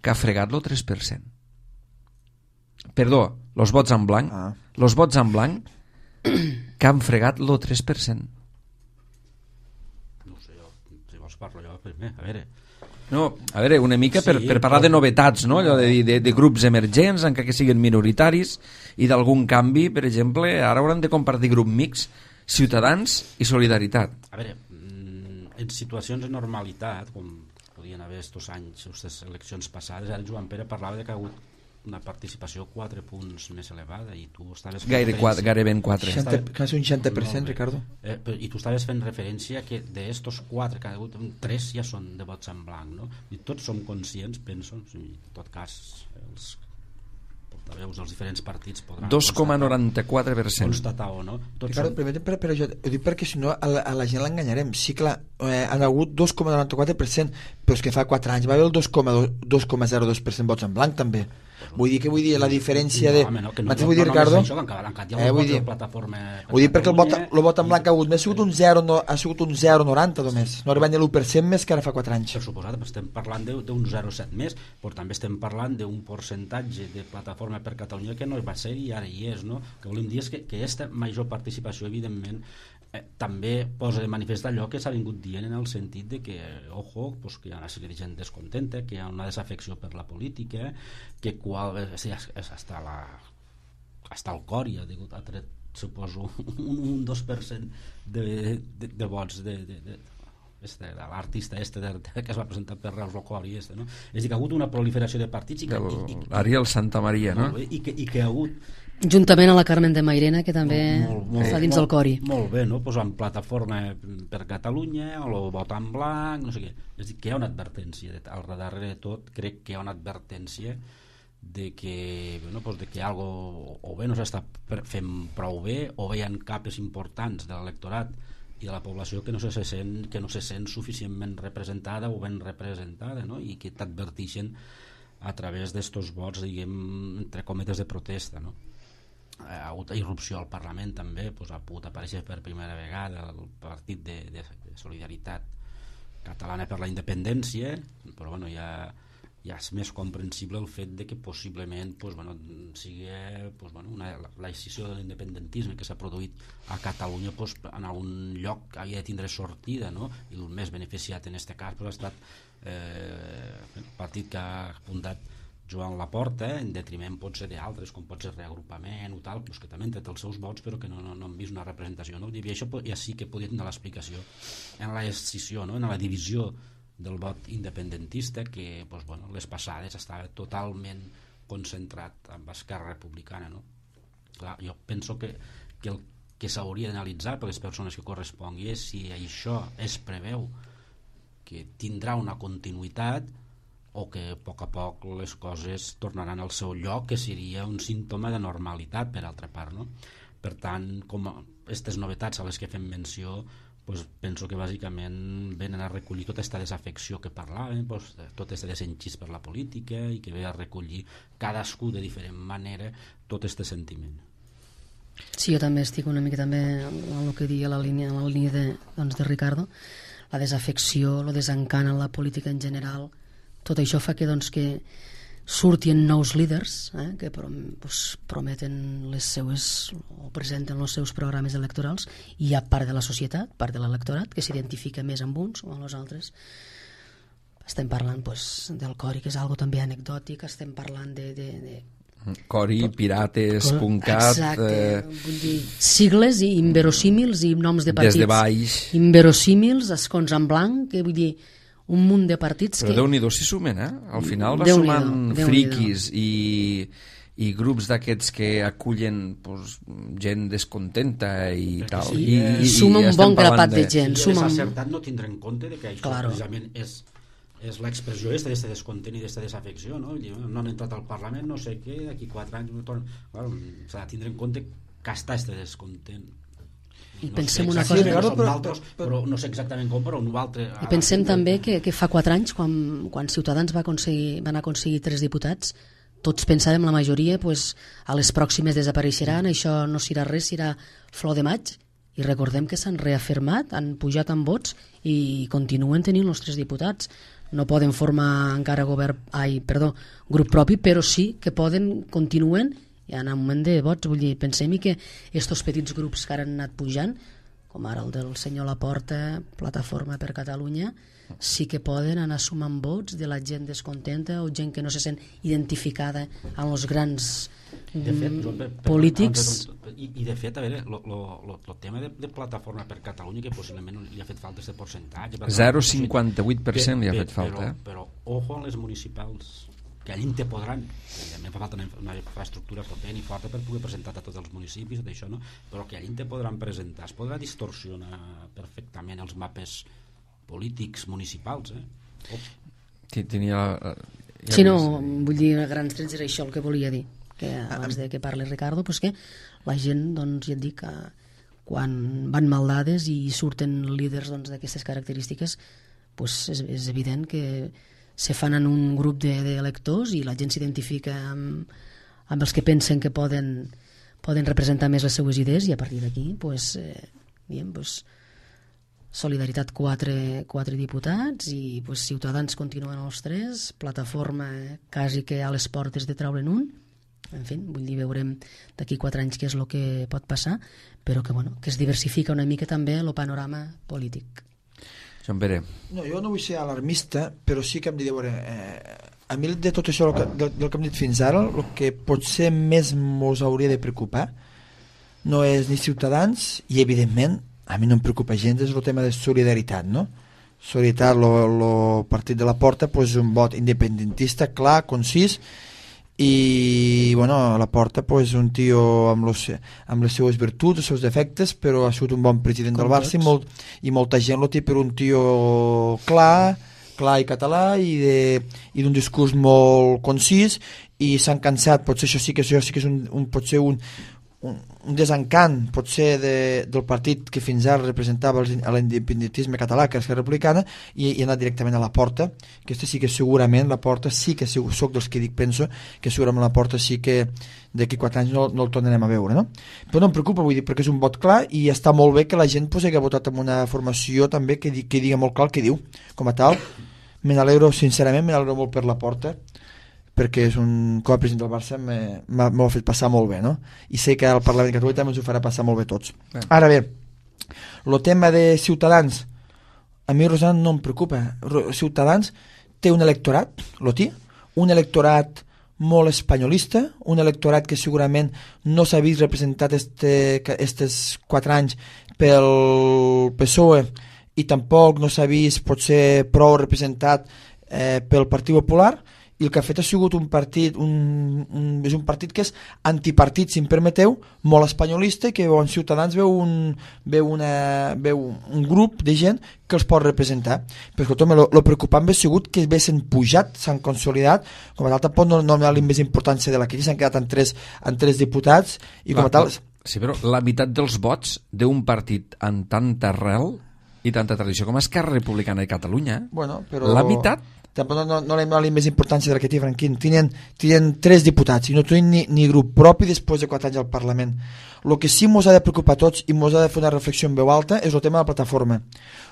que ha fregat el tres per cent. Perdó, els vots en blanc, ah. els vots en blanc que han fregat el tres per cent.
No sé, jo, si vols parlo jo primer, a veure...
No, a veure, una mica per,
sí,
per parlar però... de novetats, no? Allò de, de, de grups emergents, encara que siguin minoritaris, i d'algun canvi, per exemple, ara hauran de compartir grup mix, Ciutadans i Solidaritat.
A veure, en situacions de normalitat, com podien haver estos anys, aquestes eleccions passades, ara Joan Pere parlava de que ha hagut una participació quatre punts més elevada i tu estaves fent
Gaire quatre, gairebé en quatre.
Quasi un seixanta per cent, no, Ricardo.
Eh, però, I tu estaves fent referència que d'estos quatre que ha hagut, tres ja són de vots en blanc, no? I tots som conscients, penso, en tot cas els portaveus dels diferents partits podran
dos coma noranta-quatre per cent
constatar o no. Tots
Ricardo,
són...
permetem, però, però jo ho dic perquè si no a la, a la gent l'enganyarem. Sí, clar, eh, han hagut dos coma noranta-quatre per cent, però és que fa quatre anys va haver el dos coma zero dos per cent vots en blanc també. Vull dir que vull dir la diferència de...
No, home, no, que no,
vull dir,
no, no,
Ricardo?
no, això, que encara, encara hi ha eh, vull dir, plataforma...
Vull dir perquè el vot, el vot en blanc ha hagut més, ha sigut un zero, no, ha sigut un zero coma noranta només. No ha arribat ni l'u per cent més que ara fa quatre anys.
Per suposat, estem parlant d'un zero coma set més, però també estem parlant d'un percentatge de plataforma per Catalunya que no va ser i ara hi és, no? Que volem dir és que, que aquesta major participació, evidentment, eh, també posa de manifest allò que s'ha vingut dient en el sentit de que, ojo, pues, que hi ha una sèrie de gent descontenta, que hi ha una desafecció per la política, que qual, és, és, és hasta, la, hasta el cor ja ha, ha tret, suposo, un, un dos per cent de, de, de vots de, de, de, este, de l'artista este de, de, que es va presentar per Reus Locori este, no? És a dir, que ha hagut una proliferació de partits i que, i, i,
Ariel Santamaria, no?
I que, i que ha hagut
juntament a la Carmen de Mairena, que també molt, molt, està dins
molt,
del cori.
Molt bé, no? Pues amb plataforma per Catalunya, o el vot en blanc, no sé què. És a dir, que hi ha una advertència, al darrere de tot, crec que hi ha una advertència de que, bueno, pues de que algo o bé no s'està fent prou bé, o bé hi ha capes importants de l'electorat i de la població que no se sent, que no se sent suficientment representada o ben representada, no? I que t'adverteixen a través d'estos vots, diguem, entre cometes de protesta, no? Ha hagut irrupció al Parlament també, doncs ha pogut aparèixer per primera vegada el partit de, de, de Solidaritat Catalana per la Independència, però bueno, ja, ja és més comprensible el fet de que possiblement doncs, bueno, sigui doncs, bueno, una, la decisió de l'independentisme que s'ha produït a Catalunya doncs, en algun lloc havia de tindre sortida, no? I el més beneficiat en aquest cas doncs, ha estat eh, el partit que ha fundat Joan Laporta, en detriment pot ser d'altres, com pot ser reagrupament o tal, doncs que també han tret els seus vots però que no, no, no han vist una representació, no? I això ja sí que podria tenir l'explicació en la escissió, no? En la divisió del vot independentista que doncs, bueno, les passades estava totalment concentrat amb Esquerra Republicana, no? Clar, jo penso que, que el que s'hauria d'analitzar per les persones que correspongui és si això es preveu que tindrà una continuïtat o que a poc a poc les coses tornaran al seu lloc, que seria un símptoma de normalitat, per altra part, no? Per tant, com aquestes novetats a les que fem menció, pues penso que bàsicament venen a recollir tota aquesta desafecció que parlàvem, pues, tot aquest desenxís per la política, i que ve a recollir cadascú de diferent manera tot aquest sentiment.
Sí, jo també estic una mica també en el que diia la línia, en la línia de, doncs, de Ricardo, la desafecció, el desencant en la política en general, tot això fa que, doncs, que surtin nous líders eh, que prom pues, prometen les seues o presenten els seus programes electorals, i hi ha part de la societat, part de l'electorat, que s'identifica més amb uns o amb els altres. Estem parlant pues, del Cori, que és algo també anecdòtic, estem parlant de... de, de
Cori, Pirates, Puncat...
Exacte,
eh...
vull dir, sigles i inverosímils i noms de partits.
Des de baix.
Inverosímils, escons en blanc, que vull dir, un munt de partits
Però
que...
Però Déu-n'hi-do si sumen, eh? Al final va
Déu-n'hi-do,
sumant friquis i, i grups d'aquests que acullen pues, gent descontenta i tal.
Sí,
I, i,
suma
i
un bon grapat de,
de
gent.
I
Suma
és
un...
acertat no tindre en compte de que això claro. precisament és, és l'expressió d'aquest de descontent i d'aquesta desafecció, no? No han entrat al Parlament, no sé què, d'aquí quatre anys... Claro, s'ha de tindre en compte que està aquest descontent.
I
no
pensem
sé
una cosa...
però, però, però no sé exactament com, però un altre...
I pensem també que, que fa quatre anys, quan, quan Ciutadans va aconseguir, van aconseguir tres diputats, tots pensàvem, la majoria, pues, a les pròximes desapareixeran, això no serà res, serà flor de maig, i recordem que s'han reafirmat, han pujat en vots i continuen tenint els tres diputats. No poden formar encara govern, ai, perdó, grup propi, però sí que poden, continuen, hi ha un moment de vots, vull dir, pensem que estos petits grups que ara han anat pujant, com ara el del senyor Laporta, Plataforma per Catalunya, sí que poden anar sumant vots de la gent descontenta o gent que no se sent identificada amb els grans
de fet, Joan, per, per,
polítics.
I, I de fet, a veure, el tema de, de Plataforma per Catalunya, que possiblement li ha fet falta aquest percentatge...
zero coma cinquanta-vuit per cent li ha fet falta.
Però, però ojo amb les municipals, que allí te podran, a fa falta una infraestructura potent i forta per poder presentar a tots els municipis, tot això, no? Però que allí te podran presentar, es podrà distorsionar perfectament els mapes polítics municipals, eh? Oh.
Tenia...
Ja sí, no, vull dir, a grans trets era això el que volia dir, que abans de que parli Ricardo, pues que la gent, doncs, ja et dic, quan van mal dades i surten líders d'aquestes característiques, pues és, és evident que se fan en un grup d'electors de, i la gent s'identifica amb, amb els que pensen que poden, poden representar més les seues idees, i a partir d'aquí pues, eh, diem, pues, Solidaritat quatre, quatre diputats i pues, Ciutadans continuen els tres, Plataforma eh, quasi que a les portes de treure'n un. En fi, vull dir, veurem d'aquí quatre anys què és el que pot passar, però que, bueno, que es diversifica una mica també el panorama polític.
Joan Pere.
No, jo no vull ser alarmista, però sí que hem de dir, eh, a mi de tot això que, del, del que hem dit fins ara, el que potser més mos hauria de preocupar no és ni Ciutadans, i evidentment a mi no em preocupa gens, és el tema de solidaritat, no? Solidaritat, el partit de la Porta, pues, un vot independentista clar, concís, i bueno, la Porta pues, un tio amb, los, amb les seues virtuts, els seus defectes, però ha sigut un bon president Com del Barça i, molt, i molta gent lo té per un tio clar, clar i català i d'un discurs molt concís, i s'han cansat, potser això sí que, això sí que és un, un, potser un, un, un desencant potser de, del partit que fins ara representava l'independentisme català, que és la Republicana, i, i ha anat directament a la Porta. Aquesta sí que segurament la Porta sí que soc dels que dic, penso que segurament la Porta sí que d'aquí quatre anys no, no el tornarem a veure, no? Però no em preocupa, vull dir, perquè és un vot clar i està molt bé que la gent pues, hagi votat amb una formació també que, que digui molt clar el que diu, com a tal. Me n'alegro, sincerament, me n'alegro molt per la Porta, perquè és un, com a president del Barça m'ho ha fet passar molt bé, no? I sé que al Parlament de Catalunya també ens ho farà passar molt bé tots. Bé. Ara bé, el tema de Ciutadans, a mi, Rosana, no em preocupa. Ciutadans té un electorat, lo té, un electorat molt espanyolista, un electorat que segurament no s'ha vist representat aquests quatre anys pel P S O E i tampoc no s'ha vist potser prou representat eh, pel Partit Popular, i el que ha fet ha sigut un partit un, un, és un partit que és antipartit, si em permeteu, molt espanyolista, i que en Ciutadans veu un, veu una, veu un grup de gent que els pot representar. Però escolta'm, lo, lo preocupant ha sigut que s'han pujat, s'han consolidat, com a tal tampoc no, no ha donat més importància de la crisi, s'han quedat en tres, en tres diputats, i com a tal...
Sí, però la meitat dels vots d'un partit amb tanta arrel i tanta tradició com Esquerra Republicana de Catalunya,
bueno, però...
la meitat...
Tampoc no, no, no li hem donat més importància de la que té Franquín. Tenen, tenen tres diputats i no tenen ni, ni grup propi després de quatre anys al Parlament. El que sí ens ha de preocupar a tots i ens ha de fer una reflexió en veu alta és el tema de la plataforma.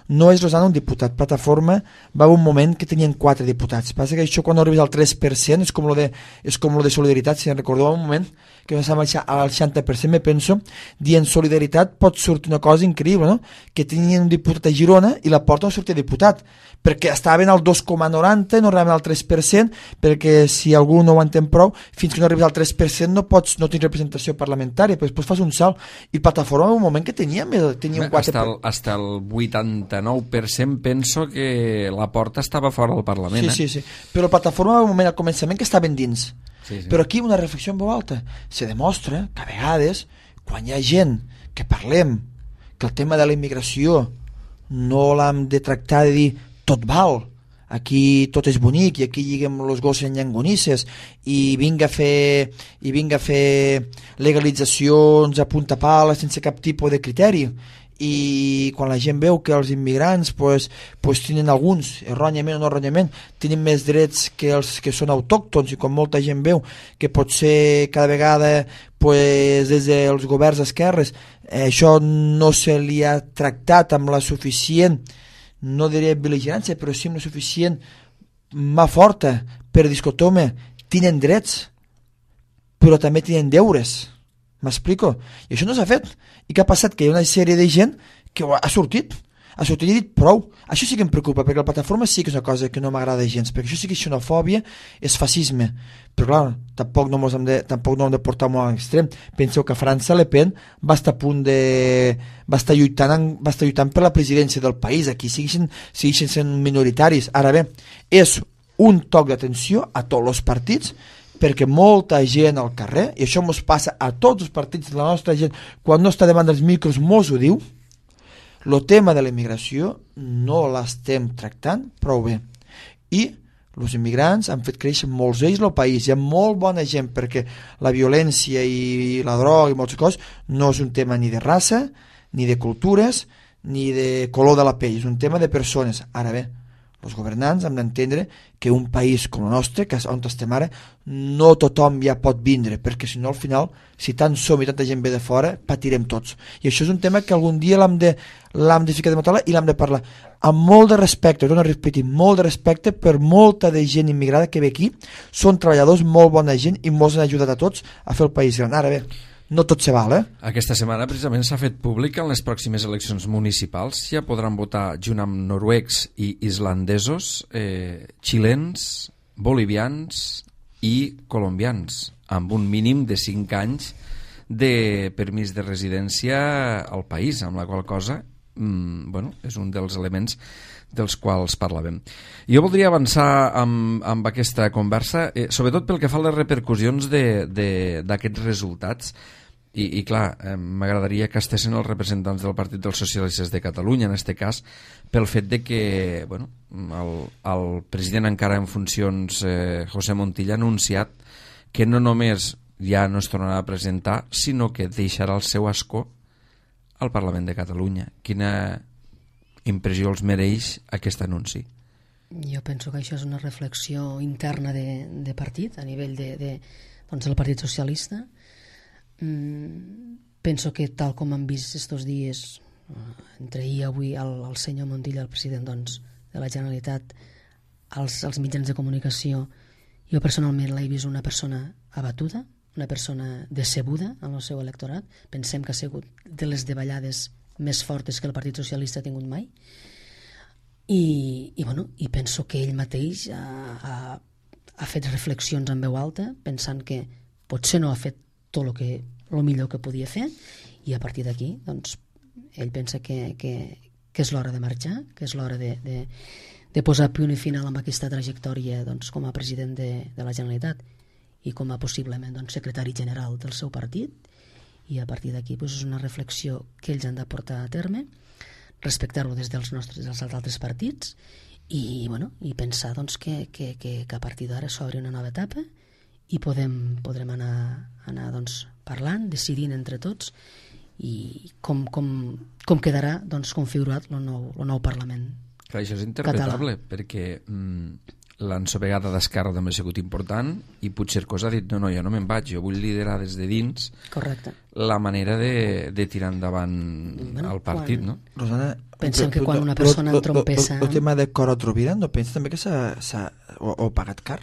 No és Rosana un diputat. Plataforma va haver un moment que tenien quatre diputats. Passa que això quan arribes al tres per cent és com lo de, és com lo de solidaritat. Si recordeu un moment que no estàvem al seixanta per cent, me penso, dient solidaritat pot sortir una cosa increïble, no? Que tenien un diputat a Girona i la Porta no sortia diputat, perquè estaven al dos coma noranta, no arribaven al tres per cent, perquè si algú no ho entén prou, fins que no arribes al tres per cent no pots, no tens representació parlamentària, però després fas un salt. I Plataforma en un moment que tenia, tenia un quatre per cent.
Hasta el, el vuitanta-nou per cent penso que la Porta estava fora del Parlament.
Sí,
eh?
sí, sí. Però Plataforma en un moment al començament que estaven dins.
Sí, sí.
Però aquí una reflexió en veu alta. Se demostra que a vegades, quan hi ha gent que parlem que el tema de la immigració no l'hem de tractar de dir tot val, aquí tot és bonic i aquí lliguem els gossos en llangonisses i vinga a fer i vinga a fer legalitzacions a punta pala sense cap tipus de criteri, i quan la gent veu que els immigrants pues, pues tenen alguns, erròniament o no erròniament, tenen més drets que els que són autòctons, i quan molta gent veu que potser cada vegada pues, des dels governs esquerres eh, això no se li ha tractat amb la suficient, no diré vigilància, però sí amb la suficient mà forta per dir, escolta, tenen drets però també tenen deures. M'explico? I això no s'ha fet. I què ha passat? Que hi ha una sèrie de gent que ha sortit. Ha sortit i ha dit prou. Això sí que em preocupa, perquè la plataforma sí que és una cosa que no m'agrada gens, perquè això sí que és xenofòbia, és fascisme. Però clar, tampoc no hem de, tampoc no hem de portar molt a l'extrem. Penseu que a França Le Pen va estar a punt de... va estar lluitant, en, va estar lluitant per la presidència del país. Aquí segueixen, segueixen sent minoritaris. Ara bé, és un toc d'atenció a tots els partits, perquè molta gent al carrer, i això ens passa a tots els partits de la nostra gent, quan no està davant dels micros mos ho diu, el tema de la immigració no l'estem tractant prou bé. I els immigrants han fet créixer molts ells el país, hi ha molt bona gent, perquè la violència i la droga i moltes coses no és un tema ni de raça, ni de cultures, ni de color de la pell, és un tema de persones. Ara bé, els governants hem d'entendre que un país com el nostre, que és on estem ara, no tothom ja pot vindre, perquè si no al final, si tant som i tanta gent ve de fora, patirem tots. I això és un tema que algun dia l'hem de, l'hem de ficar de taula i l'hem de parlar amb molt de respecte, torno a repetir, molt de respecte per molta de gent immigrada que ve aquí, són treballadors, molt bona gent i molts han ajudat a tots a fer el país gran. Ara bé, no tot se val, eh?
Aquesta setmana precisament s'ha fet públic que en les pròximes eleccions municipals ja podran votar junt amb noruecs i islandesos, eh, xilens, bolivians i colombians, amb un mínim de cinc anys de permís de residència al país, amb la qual cosa mm, bueno, és un dels elements dels quals parlàvem. Jo voldria avançar amb, amb aquesta conversa, eh, sobretot pel que fa a les repercussions d'aquests resultats. I, i clar, eh, m'agradaria que estessin els representants del Partit dels Socialistes de Catalunya, en aquest cas, pel fet de que bueno, el, el president encara en funcions, eh, José Montilla, ha anunciat que no només ja no es tornarà a presentar, sinó que deixarà el seu escó al Parlament de Catalunya. Quina impressió els mereix aquest anunci?
Jo penso que això és una reflexió interna de, de partit, a nivell de, de, doncs, del Partit Socialista. Mm, penso que tal com han vist estos dies, entre ahir i avui, el, el senyor Montilla, el president doncs, de la Generalitat, als, als mitjans de comunicació, jo personalment l'he vist una persona abatuda, una persona decebuda en el seu electorat. Pensem que ha sigut de les davallades més fortes que el Partit Socialista ha tingut mai, i, i, bueno, i penso que ell mateix ha, ha, ha fet reflexions en veu alta, pensant que potser no ha fet tot el que el millor que podia fer, i a partir d'aquí doncs, ell pensa que, que, que és l'hora de marxar, que és l'hora de, de, de posar punt i final amb aquesta trajectòria doncs, com a president de, de la Generalitat i com a possiblement doncs, secretari general del seu partit, i a partir d'aquí doncs, és una reflexió que ells han de portar a terme, respectar-ho des dels nostres dels altres partits i, bueno, i pensar doncs, que, que, que, que a partir d'ara s'obre una nova etapa i podem, podrem anar, anar doncs, parlant, decidint entre tots i com, com, com quedarà doncs, configurat el nou, el nou Parlament.
Clar, això és interpretable,
català.
Perquè mm, l'ensovegada d'Esquerra també ha sigut important i Puigcercós ha dit no, no, jo no me'n vaig, jo vull liderar des de dins.
Correcte.
La manera de, de tirar endavant bueno, el partit,
quan...
no?
Rosana,
pensem que quan una persona entrompessa...
El tema de cor a Rovira, no pensa també que s'ha pagat car?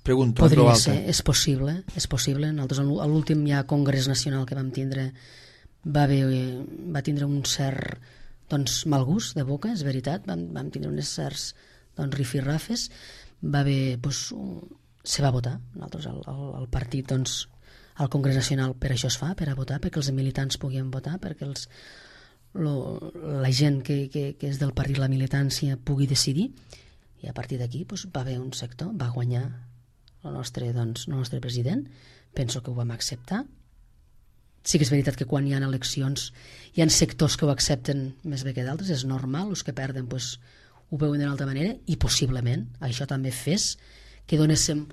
Pregunto.
Podria ser, és possible, és possible. Nosaltres a l'últim ja Congrés Nacional que vam tindre va, haver, va tindre un cert doncs, mal gust de boca, és veritat, vam, vam tindre uns certs doncs, rifirrafes, va haver, doncs, se va votar, nosaltres el, el, el partit doncs, al Congrés Nacional per això es fa, per a votar, perquè els militants puguin votar, perquè els, lo, la gent que, que, que és del partit, la militància, pugui decidir, i a partir d'aquí doncs, va haver un sector, va guanyar el nostre, doncs, el nostre president, penso que ho vam acceptar. Sí que és veritat que quan hi ha eleccions hi ha sectors que ho accepten més bé que d'altres, és normal, els que perden doncs, ho veuen d'una altra manera i possiblement això també fes que donéssim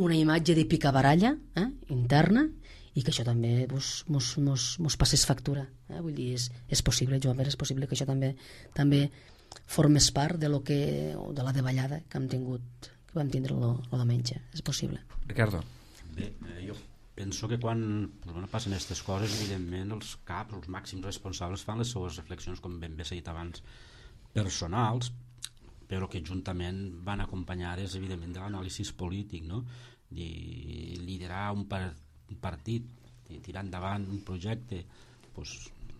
una imatge de picabaralla eh, interna i que això també mos, mos, mos, mos passés factura. Eh? Vull dir, és, és possible, Joan Pere, és possible que això també també formés part de, lo que, de la davallada que hem tingut, que vam tindre el diumenge. És possible.
Ricardo.
Bé, eh, jo penso que quan bueno, passen aquestes coses, evidentment els caps, els màxims responsables fan les seues reflexions, com ben bé s'ha dit abans, personals, però que juntament van acompanyades evidentment de l'anàlisi polític, no? De liderar un, par un partit, de tirar endavant un projecte, pues,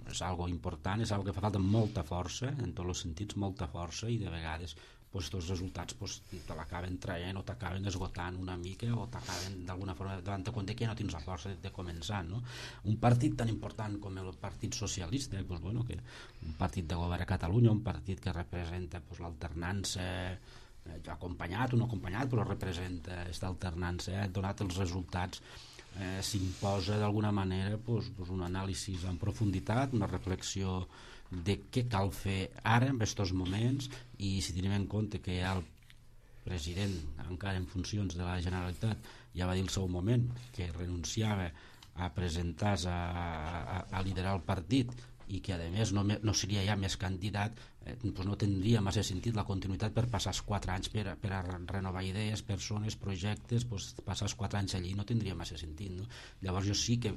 és algo important, és algo que fa falta molta força, en tots els sentits molta força, i de vegades pues, els resultats pues, te l'acaben traient o t'acaben esgotant una mica o t'acaben d'alguna forma davant de compte que no tens la força de, de començar, no? Un partit tan important com el Partit Socialista, pues, bueno, que un partit de govern a Catalunya, un partit que representa pues, l'alternança, eh, acompanyat o no acompanyat, però representa aquesta alternança, eh, donat els resultats, eh, s'imposa d'alguna manera pues, pues, un anàlisi en profunditat, una reflexió de què cal fer ara en aquests moments, i si tenim en compte que el president encara en funcions de la Generalitat ja va dir al seu moment que renunciava a presentar-se a, a, a liderar el partit i que a més no, no seria ja més candidat, eh, doncs no tindria massa sentit la continuïtat per passar els quatre anys per, per a renovar idees, persones, projectes, doncs passar els quatre anys allí no tindria massa sentit, no? Llavors jo sí que,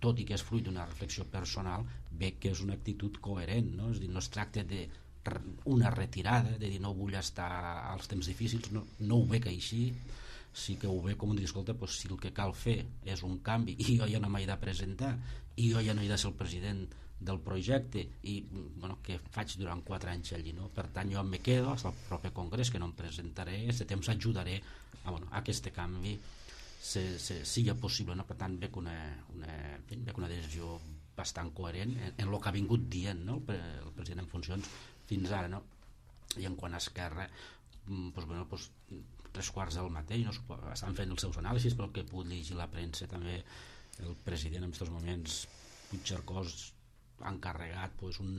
tot i que és fruit d'una reflexió personal, veig que és una actitud coherent, no? És dir, no es tracta d'una retirada, de dir no vull estar als temps difícils, no, no ho veig així, sí que ho veig com un dir, escolta, doncs, si el que cal fer és un canvi i jo ja no m'he de presentar i jo ja no he de ser el president del projecte i bueno, que faig durant quatre anys allí, no? Per tant jo me quedo fins al proper congrés, que no em presentaré, aquest temps ajudaré a, bueno, a aquest canvi se, se, sigui possible, no? Per tant veig una, una, veig una decisió bastant coherent en, en el que ha vingut dient, no? el, el president en funcions fins ara, no? I en quant a Esquerra pues, bueno, pues, tres quarts del mateix, no? Estan fent els seus anàlisis, però el que he pogut llegir la premsa també el president en aquests moments Puigcercós ha encarregat pues, un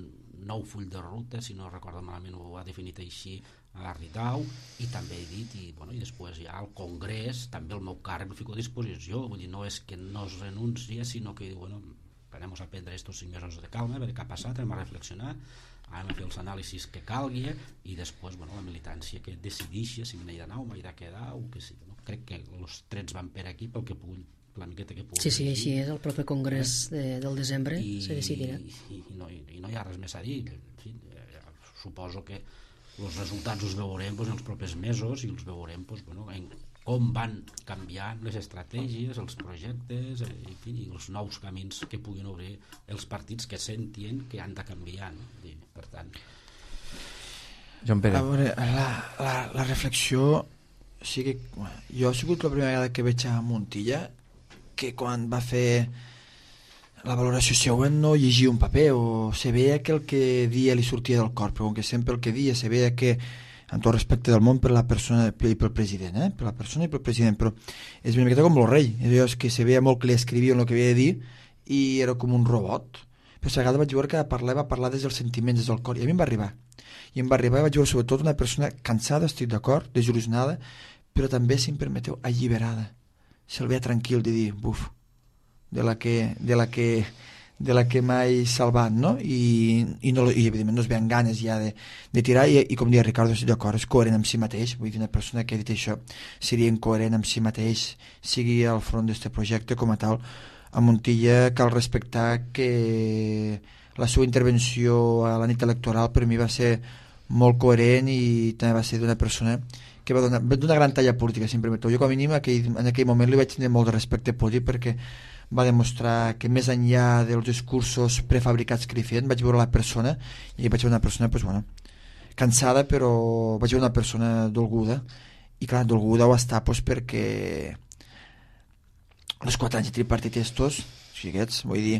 nou full de ruta, si no recordo malament ho ha definit així a Ritau, i també he dit i, bueno, i després ja al Congrés també el meu càrrec el fico a disposició, vull dir, no és que no es renuncia, sinó que bueno, anem a prendre estos cinc mesos de calma, a veure què ha passat, anem a reflexionar, anem a fer els anàlisis que calgui i després bueno, la militància que decidixi si m'he d'anar o m'he de quedar o que sí, no? Crec que els trets van per aquí pel que puguin la miqueta que pugui.
Sí, sí, així és, el proper congrés de, del desembre
I,
se decidirà.
I, i, no, i no hi ha res més a dir. En fi, eh, suposo que els resultats els veurem doncs, en els propers mesos i els veurem doncs, bueno, en com van canviant les estratègies, els projectes, eh, en fi, i els nous camins que puguin obrir els partits que sentien que han de canviar. No? I, per tant...
Joan Pere.
A veure, la, la, la reflexió... Sí que, jo ha sigut la primera vegada que veig a Montilla que quan va fer la valoració següent no llegia un paper o se veia que el que dia li sortia del cor, però com que sempre el que dia se veia que amb tot respecte del món per la persona i pel president, eh? per la persona i pel president, però és una miqueta com el rei, és que se veia molt que li escrivia el que havia de dir i era com un robot, però a vegades vaig veure que parlar va parlar des dels sentiments, des del cor, i a mi em va arribar, i em va arribar i vaig veure sobretot una persona cansada, estic d'acord, desil·lusionada, però també, si em permeteu, alliberada, se'l veia tranquil de dir, buf, de la que, de la que, de la que m'he salvat, no? I, i, no, i evidentment no es veien ganes ja de, de tirar, i, i com deia Ricardo, estic d'acord, és coherent amb si mateix, vull dir, una persona que ha dit això seria incoherent amb si mateix, sigui al front d'aquest projecte com a tal. A Montilla cal respectar que la seva intervenció a la nit electoral per mi va ser molt coherent i també va ser d'una persona que va donar d'una gran talla política, si em permeteu. Jo com a mínim aquell, en aquell moment li vaig tenir molt de respecte polític perquè va demostrar que més enllà dels discursos prefabricats que li feien, vaig veure la persona i vaig veure una persona pues, bueno, cansada, però vaig veure una persona dolguda, i clar, dolguda ho està pues, perquè els quatre anys de tripartit estos, xiguets, vull dir,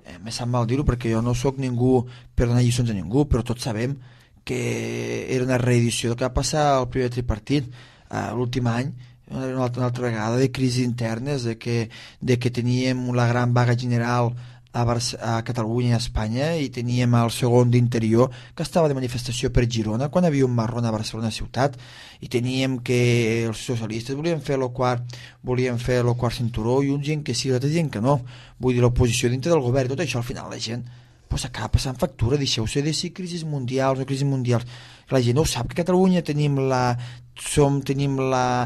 eh, me sap mal dir-ho perquè jo no sóc ningú per donar lliçons a ningú, però tots sabem que era una reedició del que va passar al primer tripartit eh, l'últim any, una, una altra vegada de crisis internes, de que, de que teníem la gran vaga general a, Barce a Catalunya i a Espanya i teníem el segon d'interior que estava de manifestació per Girona quan havia un marrón a Barcelona ciutat i teníem que els socialistes volien fer el quart, volien fer el quart cinturó i uns gent que sí, l'altre gent que no, vull dir l'oposició dintre del govern i tot això al final la gent pues acaba passant factura, deixeu-se de si crisis mundials o crisis mundials, la gent no ho sap que a Catalunya tenim la som, tenim la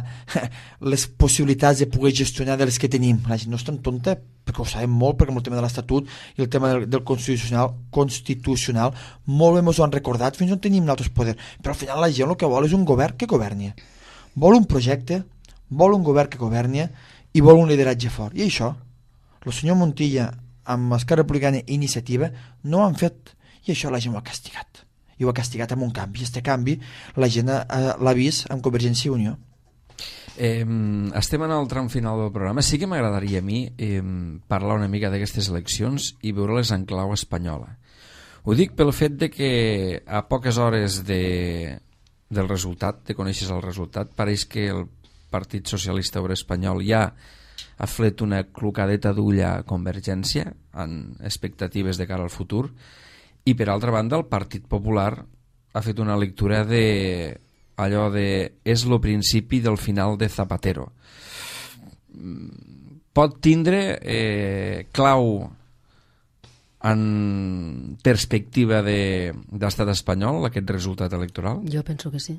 les possibilitats de poder gestionar de les que tenim, la gent no és tan tonta perquè ho sabem molt, perquè amb el tema de l'Estatut i el tema del, del constitucional constitucional molt bé ens ho han recordat fins on tenim altres poders, però al final la gent el que vol és un govern que governi, vol un projecte, vol un govern que governi i vol un lideratge fort, i això el senyor Montilla amb Esquerra Republicana i Iniciativa no ho han fet, i això la gent ho ha castigat i ho ha castigat amb un canvi, i aquest canvi la gent l'ha vist amb Convergència i Unió.
Eh, estem en el tram final del programa. Sí que m'agradaria a mi eh, parlar una mica d'aquestes eleccions i veure-les en clau espanyola. Ho dic pel fet de que a poques hores de, del resultat, de conèixer el resultat, pareix que el Partit Socialista Obrer Espanyol ja ha fet una clocadeta d'ull a Convergència en expectatives de cara al futur, i per altra banda el Partit Popular ha fet una lectura de allò de és lo principi del final de Zapatero. Pot tindre eh, clau en perspectiva de, de l'estat espanyol aquest resultat electoral?
Jo penso que sí.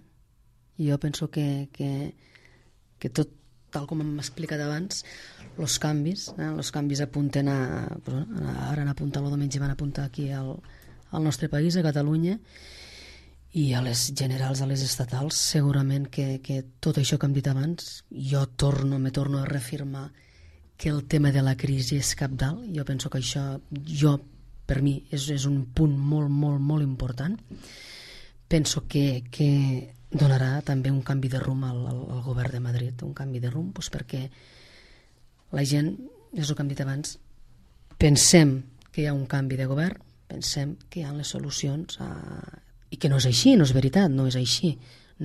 Jo penso que, que, que tot tal com hem explicat abans, els canvis, eh, els canvis apunten a, ara han apuntat el diumenge, van apuntar aquí al, al nostre país, a Catalunya, i a les generals, a les estatals, segurament que, que tot això que hem dit abans, jo torno, me torno a reafirmar que el tema de la crisi és cabdal. Jo penso que això, jo, per mi, és, és un punt molt, molt, molt important. Penso que, que donarà també un canvi de rumb al, al, al govern de Madrid, un canvi de rumb doncs perquè la gent, és el que hem dit abans, pensem que hi ha un canvi de govern, pensem que hi ha les solucions a... i que no és així, no és veritat, no és així,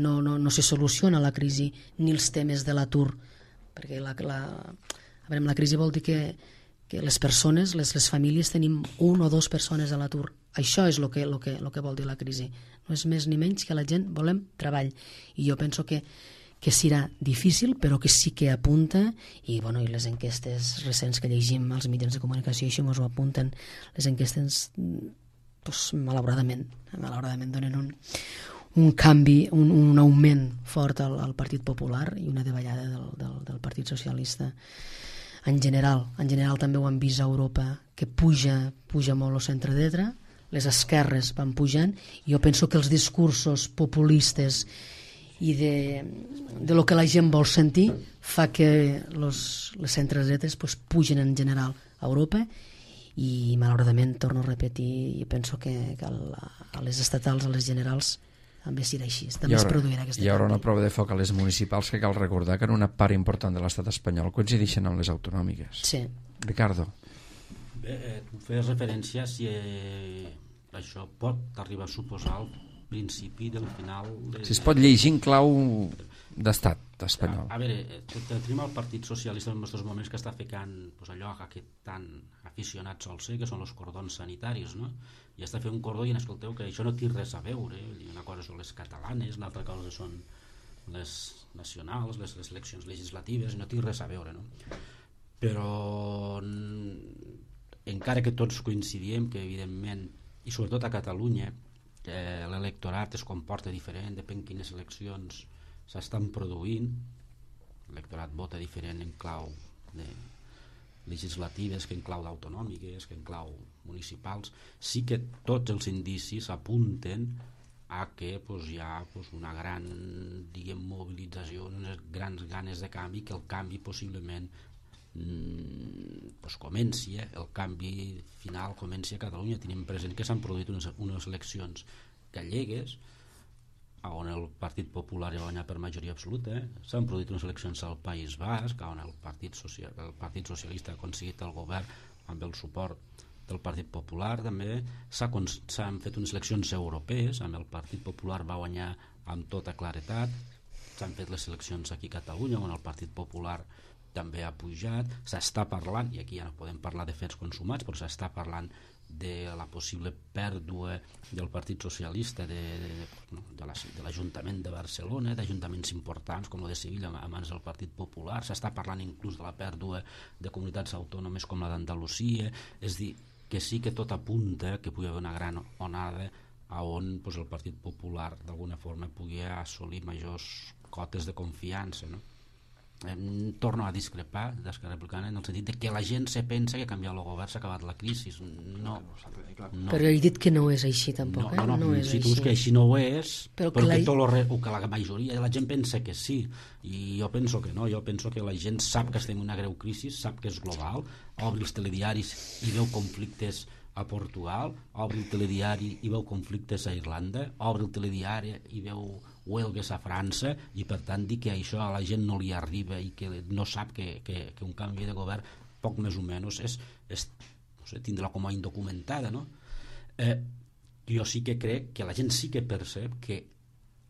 no, no, no se soluciona la crisi ni els temes de l'atur, perquè la, la, a veure, la crisi vol dir que, que les persones, les, les famílies tenim un o dos persones a l'atur, això és el que, lo que, lo que vol dir la crisi, no és més ni menys que la gent volem treball, i jo penso que, que serà difícil, però que sí que apunta, i, bueno, i les enquestes recents que llegim als mitjans de comunicació, això ens ho apunten, les enquestes, doncs, malauradament, malauradament donen un, un canvi, un, un augment fort al, al Partit Popular i una davallada del, del, del Partit Socialista. En general, en general també ho hem vist a Europa, que puja, puja molt el centre-dreta, les esquerres van pujant, i jo penso que els discursos populistes i de, de lo que la gent vol sentir fa que los, les centre-dretes pues, pugen en general a Europa, i malauradament, torno a repetir, i penso que, que a les estatals, a les generals, també serà així, també es produirà aquesta
hi haurà una prova de foc a les municipals, que cal recordar que en una part important de l'estat espanyol coincideixen amb les autonòmiques.
Sí.
Ricardo.
Bé, eh, tu feies referència si eh, això pot arribar a suposar el principi del final... De...
Si es pot llegir en clau d'estat espanyol.
A, a veure, tenim el Partit Socialista en aquests moments que està ficant pues, allò que tan aficionat sol ser, que són els cordons sanitaris, no? I està fent un cordó i escolteu que això no té res a veure. Una cosa són les catalanes, una altra cosa són les nacionals, les, les eleccions legislatives, no té res a veure, no? Però encara que tots coincidim que evidentment, i sobretot a Catalunya, eh, l'electorat es comporta diferent, depèn quines eleccions s'estan produint, l'electorat vota diferent en clau de legislatives que en clau d'autonòmiques, que en clau municipals, sí que tots els indicis apunten a que pues, hi ha pues, una gran diguem, mobilització, unes grans ganes de canvi, que el canvi possiblement mm, pues, comenci, eh? el canvi final comenci a Catalunya. Tenim present que s'han produït unes, unes eleccions gallegues on el Partit Popular ha guanyat per majoria absoluta, eh? S'han produït unes eleccions al País Basc on el Partit, Social, el Partit Socialista ha aconseguit el govern amb el suport del Partit Popular. També s'han fet unes eleccions europees on el Partit Popular va guanyar amb tota claretat. S'han fet les eleccions aquí a Catalunya on el Partit Popular també ha pujat. S'està parlant, i aquí ja no podem parlar de fets consumats, però s'està parlant de la possible pèrdua del Partit Socialista de, de, de, la, de l'Ajuntament de Barcelona, d'ajuntaments importants com el de Sevilla a mans del Partit Popular. S'està parlant inclús de la pèrdua de comunitats autònomes com la d'Andalusia. És dir, que sí que tot apunta que pugui haver una gran onada a on pues, el Partit Popular d'alguna forma pugui assolir majors cotes de confiança, no? Em torno a discrepar d'Esquerra Republicana en el sentit de que la gent se pensa que canviar el govern s'ha acabat la crisi. No, no.
Però he dit que no és així tampoc,
no, no, no,
eh? No és
si tu
així.
dius que així no ho és,
però,
però
que,
que,
la...
tot lo re... que la majoria de la gent pensa que sí, i jo penso que no. Jo penso que la gent sap que estem en una greu crisi, sap que és global, obre els telediaris i veu conflictes a Portugal, obre el telediari i veu conflictes a Irlanda, obre el telediari i veu huelgues a França, i per tant dir que això a la gent no li arriba i que no sap que, que, que un canvi de govern poc més o menys és, és no sé, tindrà com a indocumentada, no? Eh, jo sí que crec que la gent sí que percep que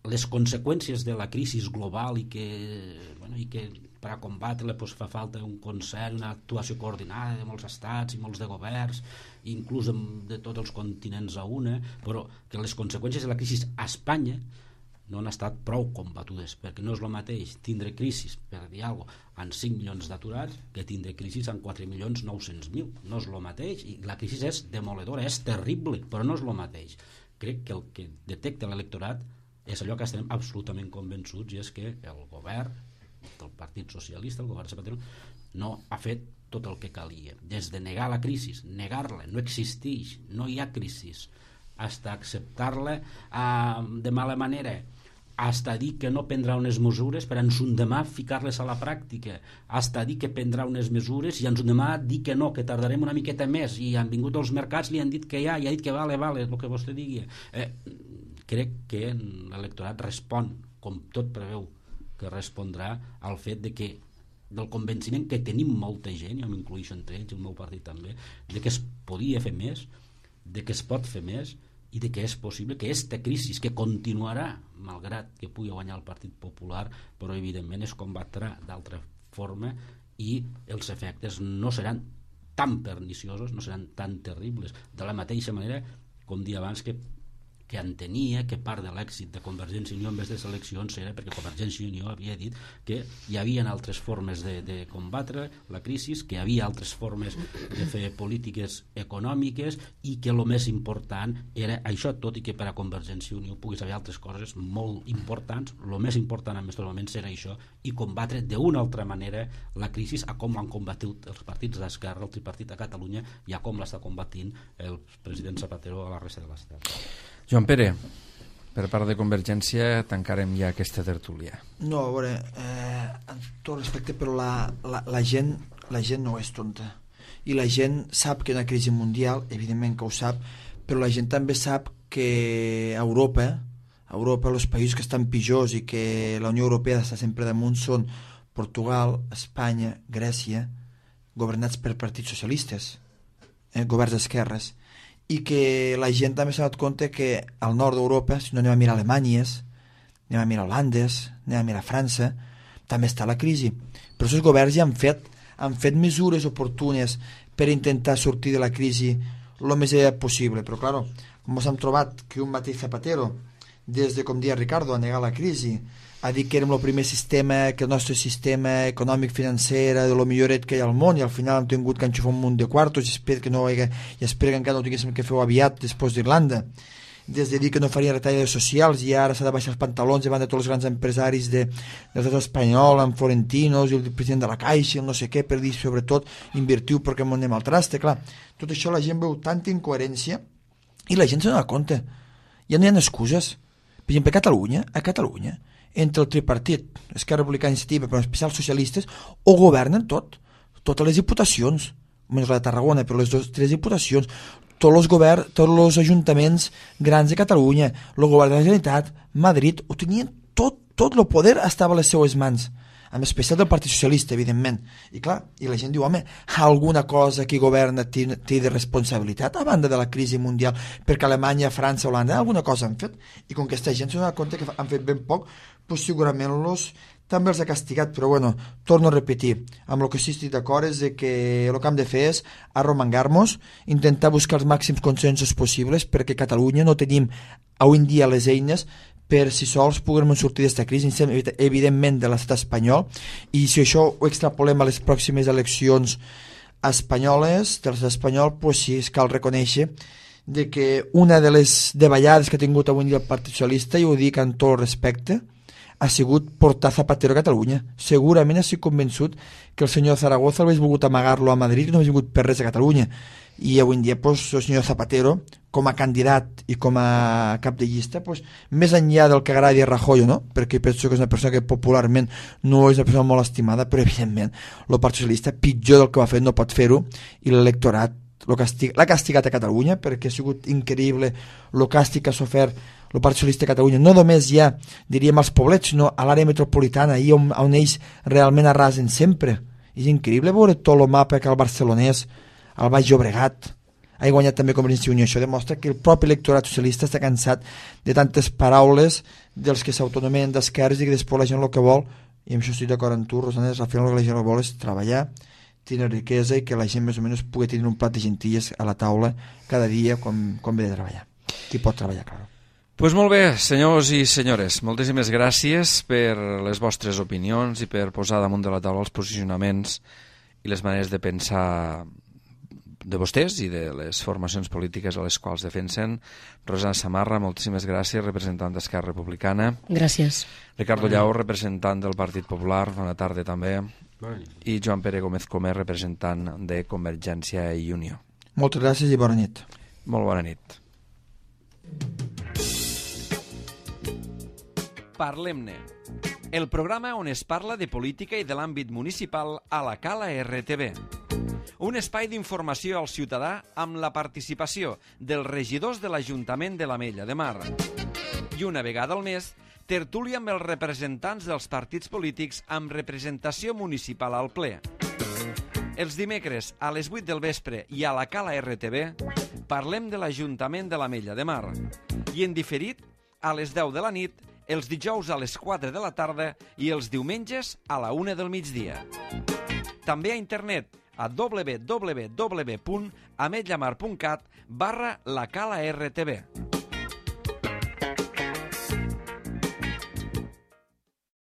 les conseqüències de la crisi global i que, bueno, i que per a combatre-la pues, fa falta un concert, una actuació coordinada de molts estats i molts de governs, inclús de tots els continents a una, però que les conseqüències de la crisi a Espanya no han estat prou combatudes, perquè no és el mateix tindre crisis, per dir alguna cosa, amb cinc milions d'aturats que tindre crisis amb quatre milions nou-cents mil. No és el mateix, i la crisi és demoledora, és terrible, però no és el mateix. Crec que el que detecta l'electorat és allò que estem absolutament convençuts, i és que el govern del Partit Socialista, el govern Zapatero, no ha fet tot el que calia. Des de negar la crisi, negar-la, no existeix, no hi ha crisi, hasta acceptar-la eh, de mala manera, hasta dir que no prendrà unes mesures per ens un demà ficar-les a la pràctica, hasta dir que prendrà unes mesures i ens un demà dir que no, que tardarem una miqueta més, i han vingut als mercats, li han dit que ja, i ha dit que vale, vale, el que vostè digui. Eh, crec que l'electorat respon, com tot preveu que respondrà, al fet de que del convenciment que tenim molta gent, jo m'incluïxo entre ells, el meu partit també, de que es podia fer més, de que es pot fer més, i de que és possible que aquesta crisi, que continuarà malgrat que pugui guanyar el Partit Popular, però evidentment es combatrà d'altra forma i els efectes no seran tan perniciosos, no seran tan terribles, de la mateixa manera com dir abans que que entenia que part de l'èxit de Convergència i Unió en aquestes eleccions era perquè Convergència i Unió havia dit que hi havia altres formes de, de combatre la crisi, que hi havia altres formes de fer polítiques econòmiques i que el més important era això, tot i que per a Convergència i Unió pogués haver altres coses molt importants, el més important en aquests moments era això, i combatre d'una altra manera la crisi, a com han combatut els partits d'esquerra, el tripartit a Catalunya, i a com l'està combatint el president Zapatero a la resta de l'Estat.
Joan Pere, per part de Convergència tancarem ja aquesta tertúlia.
No, a veure, eh, amb tot respecte, però la, la, la, gent, la gent no és tonta, i la gent sap que hi ha una crisi mundial, evidentment que ho sap, però la gent també sap que a Europa, a Europa els països que estan pitjors i que la Unió Europea està sempre damunt són Portugal, Espanya, Grècia, governats per partits socialistes, eh, governs d'esquerres, i que la gent també s'ha donat compte que al nord d'Europa, si no anem a mirar Alemanyes, anem a mirar Holandes, anem a mirar França, també està la crisi. Però els governs ja han fet, han fet mesures oportunes per intentar sortir de la crisi el més aviat possible. Però, clar, com ens hem trobat que un mateix Zapatero, des de, com dia Ricardo, a negar la crisi, a dir que érem el primer sistema, que el nostre sistema econòmic financer era de lo milloret que hi ha al món, i al final hem tingut que enxufar un munt de quartos i espero que, no, i espero que encara no tinguéssim que fer aviat després d'Irlanda. Des de dir que no faria retallades socials i ara s'ha de baixar els pantalons davant de tots els grans empresaris de, de l'estat espanyol, amb Florentinos i el president de la Caixa i el no sé què, per dir sobretot invertiu perquè m'ho anem al traste. Clar, tot això la gent veu tanta incoherència i la gent se n'ha compte. Ja no hi ha excuses. Per exemple, a Catalunya, a Catalunya, entre el tripartit, Esquerra Republicana Iniciativa, però en especial socialistes, o governen tot, totes les diputacions, menys la de Tarragona, però les dues, tres diputacions, tots els governs, tots els ajuntaments grans de Catalunya, el govern de la Generalitat, Madrid, ho tenien tot, tot el poder estava a les seues mans, en especial del Partit Socialista, evidentment. I clar, i la gent diu, home, alguna cosa que governa té, té de responsabilitat a banda de la crisi mundial, perquè Alemanya, França, Holanda, alguna cosa han fet, i com que aquesta gent s'ha donat compte que han fet ben poc, pues segurament los també els ha castigat, però bueno, torno a repetir, amb el que sí estic d'acord és que el que hem de fer és arromangar-nos, intentar buscar els màxims consensos possibles, perquè a Catalunya no tenim avui en dia les eines per si sols puguem sortir d'aquesta crisi, evidentment de l'estat espanyol, i si això ho extrapolem a les pròximes eleccions espanyoles, de l'estat espanyol, pues sí, cal reconèixer de que una de les davallades que ha tingut avui en dia el Partit Socialista, i ho dic amb tot el respecte, ha sigut portar Zapatero a Catalunya. Segurament estic convençut que el senyor Zaragoza hauria volgut amagar-lo a Madrid i no hauria volgut per res a Catalunya. I avui en dia pues, el senyor Zapatero, com a candidat i com a cap de llista, pues, més enllà del que agradi a Rajoy, no? Perquè penso que és una persona que popularment no és una persona molt estimada, però evidentment el Partit Socialista, pitjor del que va fer, no pot fer-ho, i l'electorat l'ha castigat a Catalunya, perquè ha sigut increïble el càstig que ha sofert el Partit Socialista de Catalunya, no només ja, diríem, als poblets, sinó a l'àrea metropolitana, ahir on, on ells realment arrasen sempre. És increïble veure tot el mapa que el barcelonès, el Baix Llobregat, ha guanyat també Convergència i Unió. Això demostra que el propi electorat socialista està cansat de tantes paraules dels que s'autonomien d'esquerres i que després la gent el que vol, i amb això estic d'acord amb tu, Rosana, al final el que la gent vol és treballar, tenir riquesa i que la gent més o menys pugui tenir un plat de gentilles a la taula cada dia quan, quan ve de treballar. Qui pot treballar, clar.
Pues molt bé, senyors i senyores, moltíssimes gràcies per les vostres opinions i per posar damunt de la taula els posicionaments i les maneres de pensar de vostès i de les formacions polítiques a les quals defensen. Rosana Samarra, moltíssimes gràcies, representant d'Esquerra Republicana.
Gràcies.
Ricardo Llau, representant del Partit Popular, bona tarda també. I Joan Pere Gómez Comer, representant de Convergència i Unió.
Moltes gràcies i bona nit.
Molt bona nit. Parlem-ne, el programa on es parla de política i de l'àmbit municipal a la Cala R T V. Un espai d'informació al ciutadà amb la participació dels regidors de l'Ajuntament de l'Ametlla de Mar. I una vegada al mes, tertúlia amb els representants dels partits polítics amb representació municipal al ple. Els dimecres a les vuit del vespre i a la Cala R T V parlem de l'Ajuntament de l'Ametlla de Mar. I en diferit, a les deu de la nit, els dijous a les quatre de la tarda i els diumenges a la una del migdia. També a internet a w w w punt ametlamar punt cat barra la cala R T V.